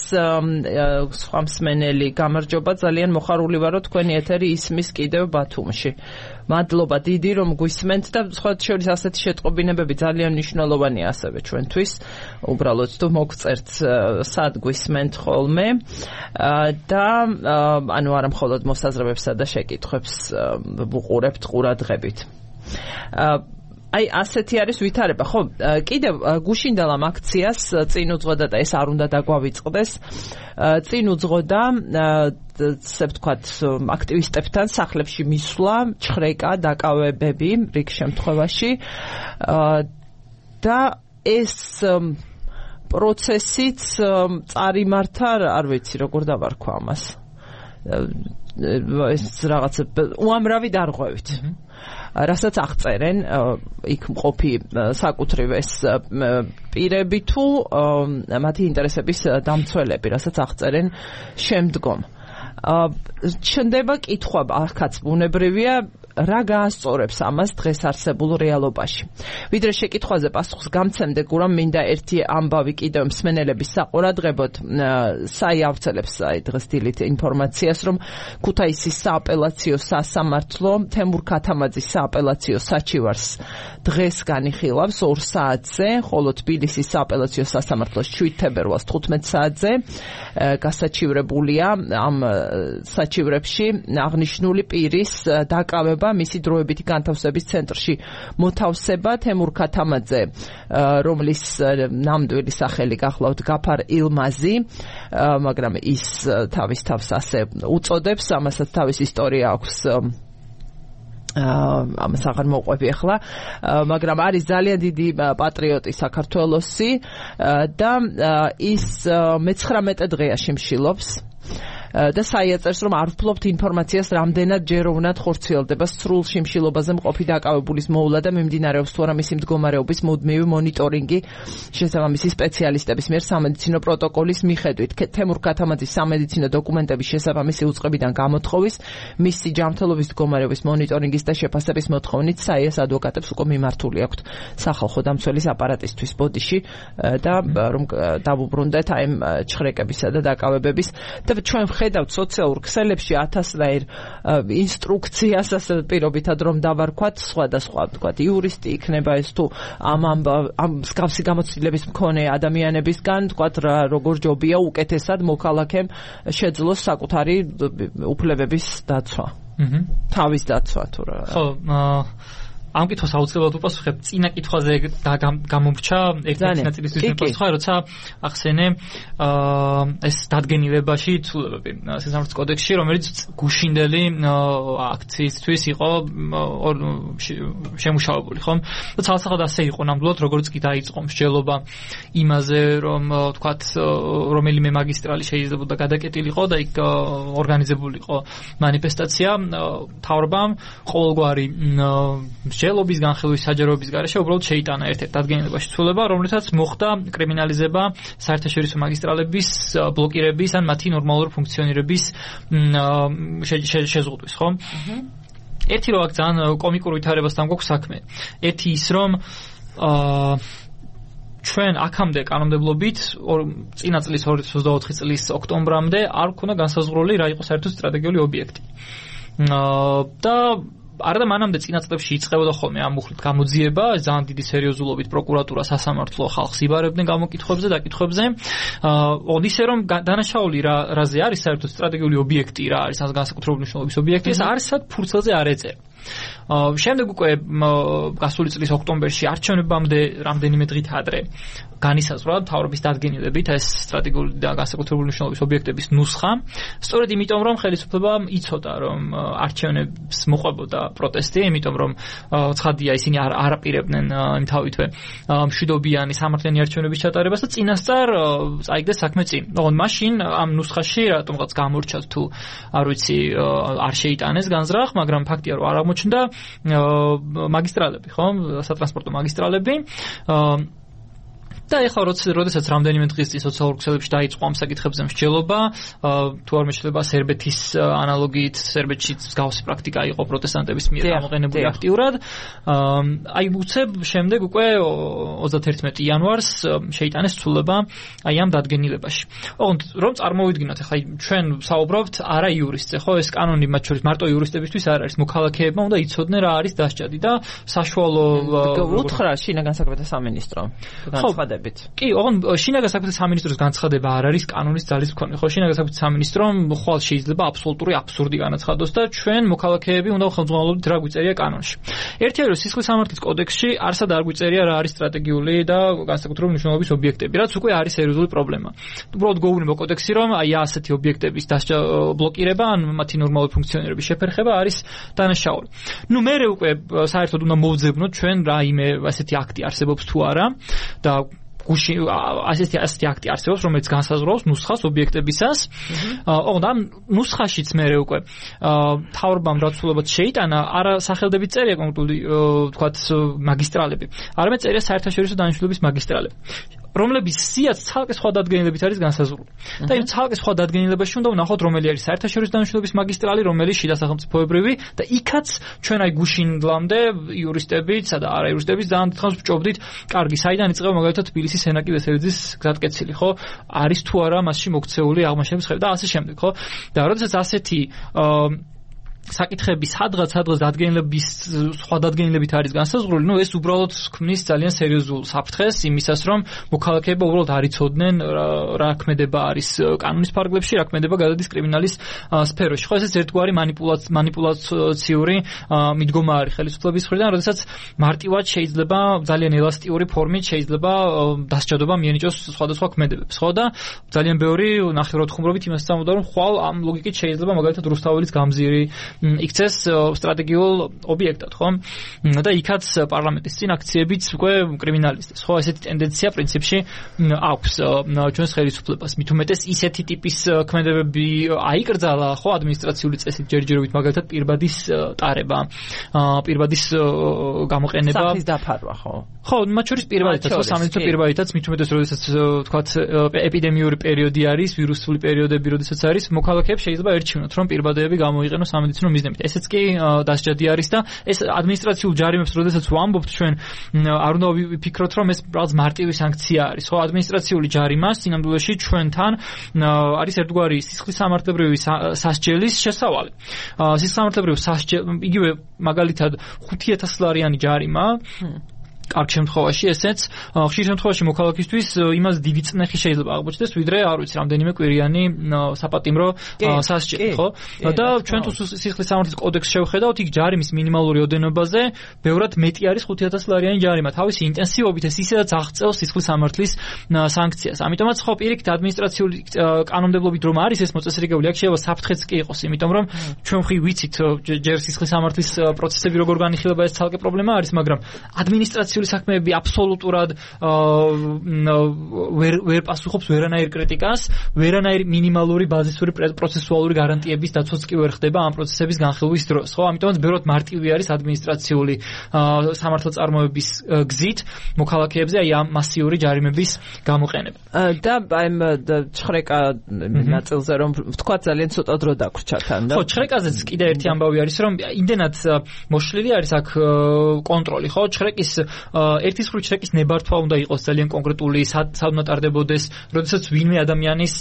სხვა მსმენელი, გამარჯობა, ძალიან მოხარული ვარო თქვენი ეთერი ისმის კიდევ ბათუმში. მადლობა დიდი რომ გვისმენთ და სხვა შორის ასეთი შეტყობინებები ძალიან მნიშვნელოვანია ასევე ჩვენთვის. უბრალოდ თუ მოგწერთ სად გვისმენთ ხოლმე და ანუ არა მხოლოდ მოსაზრებებსა და შეკითხვებს ვუყურებთ ყურადღებით. აი ასეთი არის ვითარება, ხო? კიდევ გუშინდელ ამ აქციას წინ უძღოდა და ეს არ უნდა დაგვავიწყდეს. წინ უძღოდა ესე ვთქვათ აქტივისტებთან სახლებში მისვლა, ჩხრეკა, დაკავებები რიგ შემთხვევაში და ეს პროცესიც წარიმართა, არ ვიცი როგორ დავარქვა ამას. ეს რაღაც უამრავი დარღვევით. რასაც აღწერენ იქ მყოფი საკუთრივ ეს პირები თუ მათი ინტერესების დამცველები, რასაც აღწერენ შემდგომ. ჩნდება კითხვა, ახაც ბუნებრივია, რა გაასწორებს ამას დღეს არსებულ რეალობაში. ვიდრე შეკითხვაზე პასუხს გამცემდე, გურამ მინდა ერთი ამბავი კიდევ მსმენელების საყურადღებოდ საიავრცელებს დღეს დილით ინფორმაციას, რომ ქუთაისის სააპელაციო სასამართლო თემურ ქათამაძის სააპელაციო საჩივარს დღეს განიხილავს ორ საათზე, ხოლო თბილისის სააპელაციო სასამართლოს შვიდ თებერვალს თხუთმეტ საათზე გასაჩივრებულია ამ საჩივრებში აღნიშნული პირის დაკავება, მისი დროებითი განთავსების ცენტრში მოთავსება თემურ ქათამაძე, რომლის ნამდვილი სახელი გახლავთ გაფარ ილმაზი, მაგრამ ის თავის თავს ასე უწოდებს, ამასაც თავის ისტორია აქვს ამას აღარ მოყვები ახლა, მაგრამ არის ძალიან დიდი პატრიოტი საქართველოსი და ის მეცხრამეტე დღეა შიმშილობს და საიაწერს რომ არ ვფლობთ ინფორმაციას რამდენად ჯეროვნად ხორციელდება სრულ შიმშილობაზე მყოფი დაკავებულის მოვლა და მიმდინარეობს თუ არა მისი მდგომარეობის მუდმივი მონიტორინგი შესაბამისი სპეციალისტების მიერ სამედიცინო პროტოკოლის მიხედვით. თემურ ქათამაძის სამედიცინო დოკუმენტების შესაბამისი უწყებიდან გამოთხოვის მისი ჯანმრთელობის მდგომარეობის მონიტორინგის და შეფასების მოთხოვნით საიას ადვოკატებს უკვე მიმართული აქვთ სახალხო დამცველის აპარატისთვის ბოდიში და რომ დავუბრუნდეთ აი ამ ჩხრეკებისა და დაკავებების და ჩვენ ხედავთ სოციალურ ქსელებში ათასნაირ ინსტრუქციას ასე პირობითად რომ დავარქვათ სხვადასხვა თქვათ იურისტი იქნება ეს თუ ამ ამ მსგავსი გამოცდილების მქონე ადამიანებისგან თქვათ როგორ ჯობია უკეთესად მოქალაქემ შეძლოს საკუთარი უფლებების დაცვა. აჰა. თავის დაცვა თუ რა. ხო, ამ კითხვას აუცილებლად უპასუხებ. წინა კითხვაზე გამომრჩა ერთ-ერთი ნაწილისთვის მეპასუხა, როცა ახსენე ეს დადგენილებაში ცვლილებები სასამართლოს კოდექსში, რომელიც გუშინდელი აქციისთვის იყო შემუშავებული, ხომ? და ცალსახად ასე იყო ნამდვილად, როგორც კი დაიწყო მსჯელობა იმაზე, რომ თქვათ რომელიმე მაგისტრალი შეიძლებოდა გადაკეტილიყო და იქ ორგანიზებულიყო მანიფესტაცია, მთავრობამ ყოველგვარი მსჯელობის განხილვის საჯაროების გარეშე უბრალოდ შეიტანა ერთ-ერთ დადგენილებაში ცვლილება, რომლითაც მოხდა კრიმინალიზება საერთაშორისო მაგისტრალების ბლოკირების ან მათი ნორმალური ფუნქციონირების შეზღუდვის, ხო? ერთი რო აქ ძალიან კომიკურ ვითარებასთან გვაქვს საქმე. ერთი ის რომ აა ჩვენ აქამდე კანონმდებლობით წინა წლის ორი ათას ოცდაოთხი წლის ოქტომბრამდე არ ქონდა განსაზღვრული რა იყო საერთოდ სტრატეგიული ობიექტი. და არადა მანამდე წინა წლებში იწყებოდა ხოლმე ამ მუხლით გამოძიება, ძალიან დიდი სერიოზულობით პროკურატურა, სასამართლო ხალხს იბარებდნენ გამოკითხვებზე, დაკითხვებზე. აა ისე რომ დანაშაული რა რაზე არის საერთოდ სტრატეგიული ობიექტი, რა არის ამ განსაკუთრებული მნიშვნელობის ობიექტი, ეს არსად ფურცელზე არ ეწერა. შემდეგ უკვე გასული წლის ოქტომბერში არჩევნებამდე რამდენიმე დღით ადრე განისაზღვრა მთავრობის დადგენილებით ეს სტრატეგიული და განსაკუთრებული მნიშვნელობის ობიექტების ნუსხა. სწორედ იმიტომ რომ ხელისუფლებამ იცოდა რომ არჩევნებს მოყვებოდა პროტესტი, იმიტომ რომ ცხადია ისინი არ არაპირებდნენ იმთავითვე მშვიდობიანი სამართლიანი არჩევნების ჩატარებას და წინასწარ წაიგდეს საქმე წინ. ოღონდ მაშინ ამ ნუსხაში რატომღაც გამორჩათ თუ არ ვიცი არ შეიტანეს განზრახ, მაგრამ ფაქტია რომ არ აღმოჩნდა მაგისტრალები, ხო? სატრანსპორტო მაგისტრალები. და ეხლა როდესაც რამდენიმე დღის წინ სოციალურ ქსელებში დაიწყო ამ საკითხებზე მსჯელობა, თუ არ მეშლება სერბეთის ანალოგიით, სერბეთში მსგავსი პრაქტიკა იყო პროტესტანტების მიერ გამოყენებული აქტიურად. აი უცებ შემდეგ უკვე ოცდაათი იანვარს შეიტანეს ცვლილება აი ამ დადგენილებაში. ოღონდ რომ წარმოვიდგინოთ, ეხლა ჩვენ საუბრობთ არა იურისტზე, ხო? ეს კანონი მათ შორის მარტო იურისტებისთვის არ არის, მოქალაქეებმა უნდა იცოდნენ რა არის დასჯადი და საშუალო უთხრა შინაგან საქმეთა სამინისტრო განცხადებით. კი, ოღონდ შინაგან საქმეთა სამინისტროს განცხადება არ არის კანონის ძალის მქონე. ხო, შინაგან საქმეთა სამინისტრომ ხვალ შეიძლება აბსოლუტური აბსურდი განაცხადოს და ჩვენ მოქალაქეები უნდა ხელმძღვანელობდით რა გვიწერია კანონში. ერთი არის სისხლის სამართლის კოდექსში არსად არ გვიწერია რა არის სტრატეგიული და განსაკუთრებული მნიშვნელობის ობიექტები, რაც უკვე არის სერიოზული პრობლემა. უბრალოდ გვეუბნება კოდექსი რომ აი ასეთი ობიექტების დასჯა ბლოკირება ან მათი ნორმალური ფუნქციონირების შეფერხება არის დანაშაული. ნუ მე უკვე საერთოდ უნდა მოვძებნოთ ჩვენ რაიმე ასეთი აქტი არსებობს თუ არა და გუში ასეთი ასეთი აქტი არსებობს, რომელიც განსაზღვრავს ნუსხას ობიექტებისას. ოღონდ ამ ნუსხაშიც მე უკვე მთავრობამ დაცულობად შეიტანა არა სახელდებით წერია კონკრეტული თქვათ მაგისტრალები, არამედ წერია საერთაშორისო დანიშნულების მაგისტრალები, რომლების სიაც ცალკე სხვა დადგენილებით არის განსაზღვრული. და იმ ცალკე სხვა დადგენილებაში უნდა ვნახოთ, რომელი არის საერთაშორისო დანიშნულების მაგისტრალი, რომელი შიდა სახელმწიფოებრივი და იქაც ჩვენ აი გუშინდლამდე იურისტებიც და არა იურისტებიც ძალიან დიდხანს ვჭობდით, კარგი, საიდან იწყება მაგალითად თბილისის სენაკი ვესელიძის გზატკეცილი, ხო? არის თუ არა მასში მოქცეული აღმაშენების ხები და ასე შემდეგ, ხო? და როდესაც ასეთი საკითხები სადღაც სადღაც დადგენილების სხვა დადგენილებით არის განსაზღვრული, ნუ ეს უბრალოდ ქმნის ძალიან სერიოზულ საფრთხეს იმისას, რომ მოქალაქეება უბრალოდ არ იცოდნენ რა ქმედება არის კანონის ფარგლებში, რა ქმედება გადადის კრიმინალის სფეროში. ხო, ეს ერთგვარი მანიპულაციური მიდგომა არის ხელისუფლების მხრიდან, როდესაც მარტივად შეიძლება ძალიან ელასტიური ფორმით შეიძლება დასჯადობა მიენიჭოს სხვადასხვა ქმედებებს, ხო? და ძალიან ბევრი ნახევრად ხუმრობით იმას წამოდა, რომ ხვალ ამ ლოგიკით შეიძლება მაგალითად რუსთაველის გამზირი იქცეს სტრატეგიულ ობიექტად, ხო? და იქაც პარლამენტის წინ აქციებიც უკვე კრიმინალისტებს, ხო? ესეთი ტენდენცია პრინციპში აქვს ჩვენს ხელისუფლებას. მით უმეტეს ისეთი ტიპის ქმედებები აიკრძალა, ხო, ადმინისტრაციული წესით ჯერჯერობით, მაგალითად პირბადის ტარება, პირბადის გამოყენება. სახის დაფარვა, ხო? ხო, მათ შორის პირბადითაც, ხო, სამედიცინო პირბადითაც, მით უმეტეს, როდესაც თქვათ ეპიდემიური პერიოდი არის, ვირუსული პერიოდები, როდესაც არის, მოქალაქეებს შეიძლება ერჩივნოთ, რომ პირბადები გამოიყენოს სამედიცინო მიზნებით. ესეც კი დასჯადი არის და ეს ადმინისტრაციულ ჯარიმებს, როდესაც ვამბობთ ჩვენ, არ უნდა ვიფიქროთ, რომ ეს რაღაც მარტივი სანქცია არის, ხო, ადმინისტრაციული ჯარიმა სინამდვილეში ჩვენთან არის ერთგვარი სისხლის სამართლებრივი სასჯელის შესავალი. სისხლისამართლებრივი სასჯელი, იგივე მაგალითად ხუთი ათასი ლარიანი ჯარიმა კარგ შემთხვევაში ესეც ხშირ შემთხვევაში მოქალაქისთვის იმას დიდი წნეხი შეიძლება აღმოჩნდეს, ვიდრე არ ვიცი რამდენიმე კვირიანი საპატიმრო სასჯელი, ხო? და ჩვენ თუ სისხლის სამართლის კოდექსს შევხედავთ, იქ ჯარიმის მინიმალური ოდენობაზე ბევრად მეტი არის ხუთი ათასი ლარიანი ჯარიმა. თავისი ინტენსივობით ეს ისედაც აღწევს სისხლის სამართლის სანქციას. ამიტომაც ხო პირიქით ადმინისტრაციული კანონმდებლობით რომ არის ეს მოწესრიგებული, აქ შეიძლება საფრთხეც კი იყოს, იმიტომ რომ ჩვენ ხი ვიცით ჯერ სისხლის სამართლის პროცესები როგორ განიხილება, ეს ცალკე პრობლემა არის, მაგრამ ადმინისტრაციული საქმეები აბსოლუტურად ვერ ვერ პასუხობს ვერანაირ კრიტიკას, ვერანაირი მინიმალური ბაზისური პროცესუალური გარანტიების დაცვაც კი ვერ ხდება ამ პროცესების განხილვის დროს, ხო? ამიტომაც ბევრად მარტივი არის ადმინისტრაციული სამართალწარმოების გზით მოქალაქეებზე აი ამ მასიური ჯარიმების გამოყენება. და აი ჩხრეკა ნაწილზე რომ ვთქვა ძალიან ცოტა დრო დაგვრჩა თან და ხო, ჩხრეკაზეც კიდე ერთი ამბავი არის, რომ იმდენად მოშლილი არის აქ კონტროლი, ხო? ჩხრეკის ერთის ხრი ჩრეკის ნებართვა უნდა იყოს ძალიან კონკრეტული, სად უნდა ტარდებოდეს, როდესაც ვინმე ადამიანის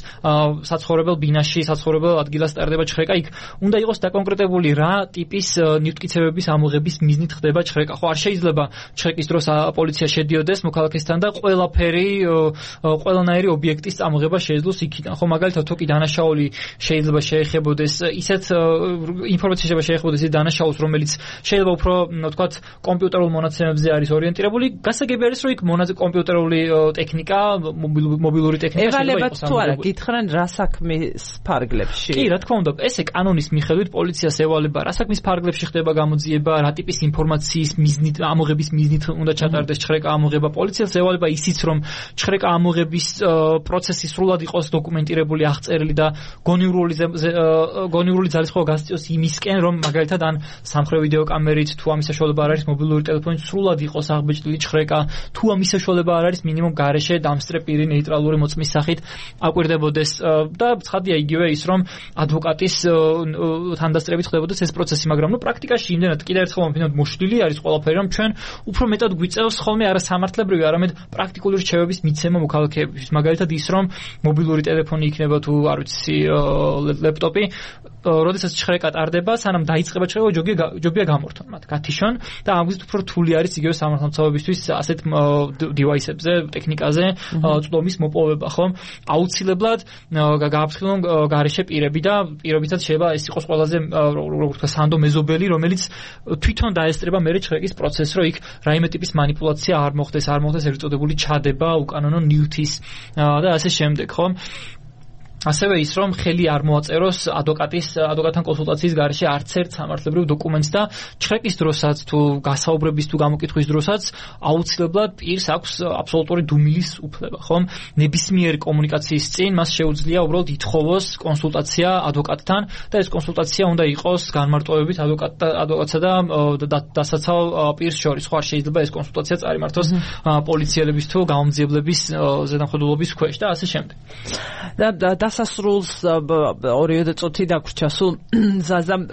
საცხოვრებელ ბინაში, საცხოვრებელ ადგილას ტარდება ჩხრეკა, იქ უნდა იყოს დაკონკრეტებული რა ტიპის ნივთკიცებების ამოღების მიზნით ხდება ჩხრეკა. ხო, არ შეიძლება ჩხრეკის დროს პოლიცია შედიოდეს მოქალაქესთან და ყველაფერი, ყველანაირი ობიექტის ამოღება შეეძლოს იქიდან. ხო, მაგალითად თოკი დანაშაული შეიძლება შეეხებოდეს, ისეთ ინფორმაცია შეიძლება შეეხებოდეს ის დანაშაულს, რომელიც შეიძლება უფრო, ვთქვათ, კომპიუტერულ მონაცემებზე არის ორიენტირებული, გასაგები არის, რომ იქ მონაზე კომპიუტერული ტექნიკა, მობილური ტექნიკა შეიძლება იყოს. ეღალებათ თუ არა, გითხრან რა საქმის ფარგლებში? კი, რა თქმა უნდა, ესე კანონის მიხედვით პოლიციას ევალება რა საქმის ფარგლებში ხდება გამოძიება, რა ტიპის ინფორმაციის მიზნით, ამოღების მიზნით უნდა ჩატარდეს ჩხრეკა ამოღება. პოლიციას ევალება ისიც, რომ ჩხრეკა ამოღების პროცესი სრულად იყოს დოკუმენტირებული, აღწერილი და გონივრული გონივრული ძალისხმევა გასწიოს იმისკენ, რომ მაგალითად ან სამხრე ვიდეო კამერით თუ ამის საშუალება არ არის მობილური ტელეფონით სრულად იყოს აღბეჭდილი ჩხრეკა, თუ ამის საშუალება არ არის მინიმუმ გარეშე დამსწრე პირი ნეიტრალური მოწმის სახით აკვირდებოდეს და ცხადია იგივე ის, რომ ადვოკატის თანდასწრებით ხდებოდეს ეს პროცესი, მაგრამ ნუ პრაქტიკაში იმდენად კიდევ ერთხელ ვამბობ, მოშლილი არის ყველაფერი, რომ ჩვენ უფრო მეტად გვიწევს ხოლმე არა სამართლებრივი, არამედ პრაქტიკული რჩევების მიცემა მოქალაქეებისთვის. მაგალითად ის, რომ მობილური ტელეფონი იქნება თუ არ ვიცი ლეპტოპი, როდესაც ჩხრეკა ტარდება, სანამ დაიწყება ჩხრეკა, ჯობია გამორთონ მათ, გათიშონ და ამგვარად უფრო რთული არის იგივე სამართალმცავებისთვის ასეთ დივაისებზე, ტექნიკაზე წვდომის მოპოვება, ხო? აუცილებლად გააფრთხილონ გარეშე პირები და პირობითაც შეიძლება ეს იყოს ყველაზე როგორ ვთქვა სანდო მეზობელი, რომელიც თვითონ დაესწრება მერე ჩხრეკის პროცესს, რომ იქ რაიმე ტიპის манипуляცია არ მოხდეს, არ მოხდეს ერთ წოდებული ჩადება, უკანონო ნივთის და ასე შემდეგ, ხო? ასევე ის, რომ ხელი არ მოაწეროს ადვოკატის ადვოკატთან კონსულტაციის გარეშე არც ერთ სამართლებრივ დოკუმენტს და ჩხრეკის დროსაც თუ გასაუბრების თუ გამოკითხვის დროსაც აუცილებლად პირს აქვს აბსოლუტური დუმილის უფლება, ხომ? ნებისმიერი კომუნიკაციის წინ მას შეუძლია უბრალოდ ითხოვოს კონსულტაცია ადვოკატთან და ეს კონსულტაცია უნდა იყოს განმარტოვებით ადვოკატსა და დასაცავ პირს შორის. ხო, არ შეიძლება ეს კონსულტაცია წარიმართოს პოლიციელების თუ გამომძიებლების ზედამხედველობის ქვეშ და ასე შემდეგ. და დასასრულს ორივე წუთი დაგვრჩა სულ ზაზამ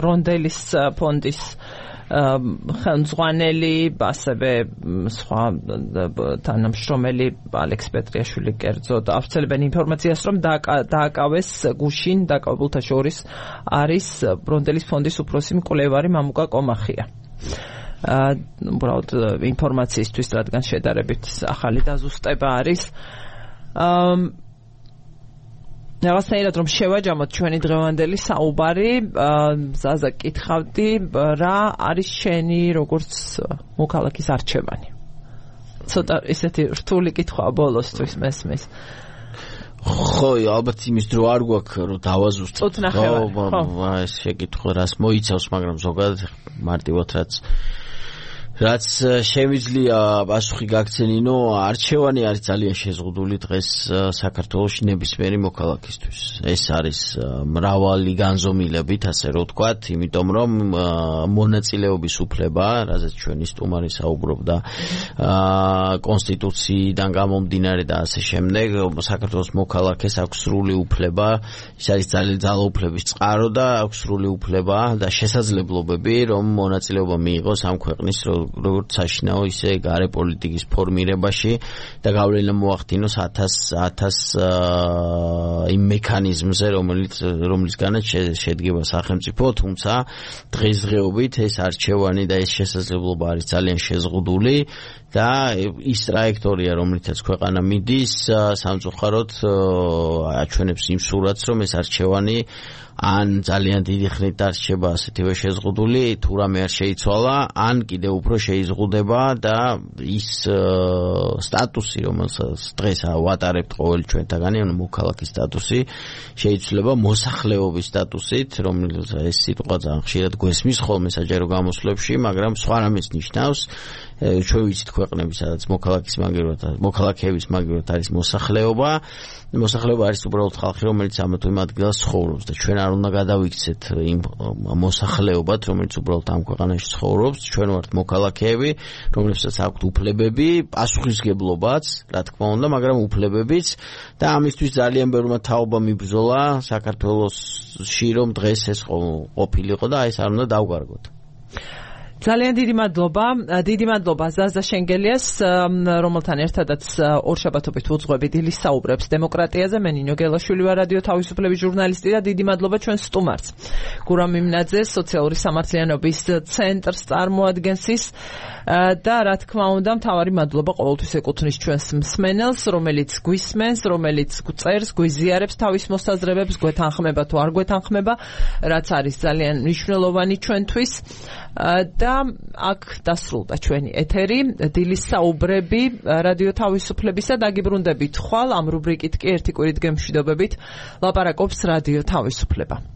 რონდელის ფონდის ხელმძღვანელი, ასევე სხვა თანამშრომელი ალექს პეტრიაშვილი კერძო და ავრცელებენ ინფორმაციას, რომ დააკავეს გუშინ დაკავებულთა შორის არის რონდელის ფონდის უფროსი მკვლევარი მამუკა კომახია. უბრალოდ ინფორმაციისთვის, რადგან შედარებით ახალი დაზუსტება არის. რაღაცნაირად რომ შევაჯამოთ ჩვენი დღევანდელი საუბარი, ზაზა კითხავდი, რა არის შენი როგორც მოქალაქის არჩევანი? ცოტა ისეთი რთული კითხვა ბოლოსთვის მესმის. ხო, ალბათ იმის დრო არ გვაქვს რომ დავაზუსტოთ. ხო, ეს შეკითხვა რას მოიცავს, მაგრამ ზოგადად მარტივად რაც რაც შემიძლია პასუხი გაგცენინო, არჩევანი არის ძალიან შეზღუდული დღეს საქართველოში ნებისმიერი მოქალაქისთვის. ეს არის მრავალი განზომილებით, ასე რომ ვთქვათ, იმიტომ რომ მონაწილეობის უფლება, რაზეც ჩვენი სტუმარი საუბრობდა, კონსტიტუციიდან გამომდინარე და ასე შემდეგ, საქართველოს მოქალაქეს აქვს სრული უფლება, ის არის ძალიან ძალაუფლების წყარო და აქვს სრული უფლება და შესაძლებლობები, რომ მონაწილეობა მიიღოს ამ ქვეყნის როგორც საშინაო, ისე გარე პოლიტიკის ფორმირებაში და გავლენა მოახდინოს ათას იმ მექანიზმზე, რომელიც რომლისგანაც შედგება სახელმწიფო, თუმცა დღესდღეობით ეს არჩევანი და ეს შესაძლებლობა არის ძალიან შეზღუდული და ის ტრაექტორია, რომლითაც ქვეყანა მიდის, სამწუხაროდ აჩვენებს იმ სურათს, რომ ეს არჩევანი ან ძალიან დიდი ხნით დარჩება ასეთივე შეზღუდული, თუ რამე არ შეიცვალა, ან კიდევ უფრო შეიზღუდება და ის სტატუსი, რომელსაც დღეს ვატარებთ ყოველი ჩვენთაგანი, ანუ მოქალაქის სტატუსი, შეიცვლება მოსახლეობის სტატუსით, რომელიც ეს სიტყვა ძალიან ხშირად გვესმის ხოლმე საჯარო გამოსვლებში, მაგრამ სხვა რამეს ნიშნავს. ჩვენ ვიცით ქვეყნები, სადაც მოქალაქის მაგივრად, მოქალაქეების მაგივრად არის მოსახლეობა. მოსახლეობა არის უბრალოდ ხალხი, რომელიც ამა თუ იმ ადგილას ცხოვრობს და ჩვენ არ უნდა გადავიქცეთ იმ მოსახლეობად, რომელიც უბრალოდ ამ ქვეყანაში ცხოვრობს. ჩვენ ვართ მოქალაქეები, რომლებსაც აქვთ უფლებები, პასუხისგებლობაც, რა თქმა უნდა, მაგრამ უფლებებიც და ამისთვის ძალიან ბევრმა თაობამ მიბრძოლა საქართველოში, რომ დღეს ეს ყოფილიყო და ეს არ უნდა დავგარგოთ. ძალიან დიდი მადლობა, დიდი მადლობა ზაზა შენგელიას, რომელთან ერთადაც ორშაბათობით უძღვები დილის საუბრებს დემოკრატიაზე. მე ნინო გელაშვილი ვარ, რადიო თავისუფლების ჟურნალისტი და დიდი მადლობა ჩვენ სტუმარს. გურამ მიმნაძეს, სოციალური სამართლიანობის ცენტრს წარმოადგენს ის და რა თქმა უნდა, მთავარი მადლობა ყოველთვის ეკუთვნის ჩვენს მსმენელს, რომელიც გვისმენს, რომელიც წერს, გვიზიარებს თავის მოსაზრებებს, გვეთანხმება თუ არ გვეთანხმება, რაც არის ძალიან მნიშვნელოვანი ჩვენთვის. და აქ დასრულდა ჩვენი ეთერი, დილის საუბრები რადიო თავისუფლებისა. დაგიბრუნდებით ხვალ, ამ რუბრიკით კი ერთი კვირით გემშვიდობებით ლაპარაკობს რადიო თავისუფლება.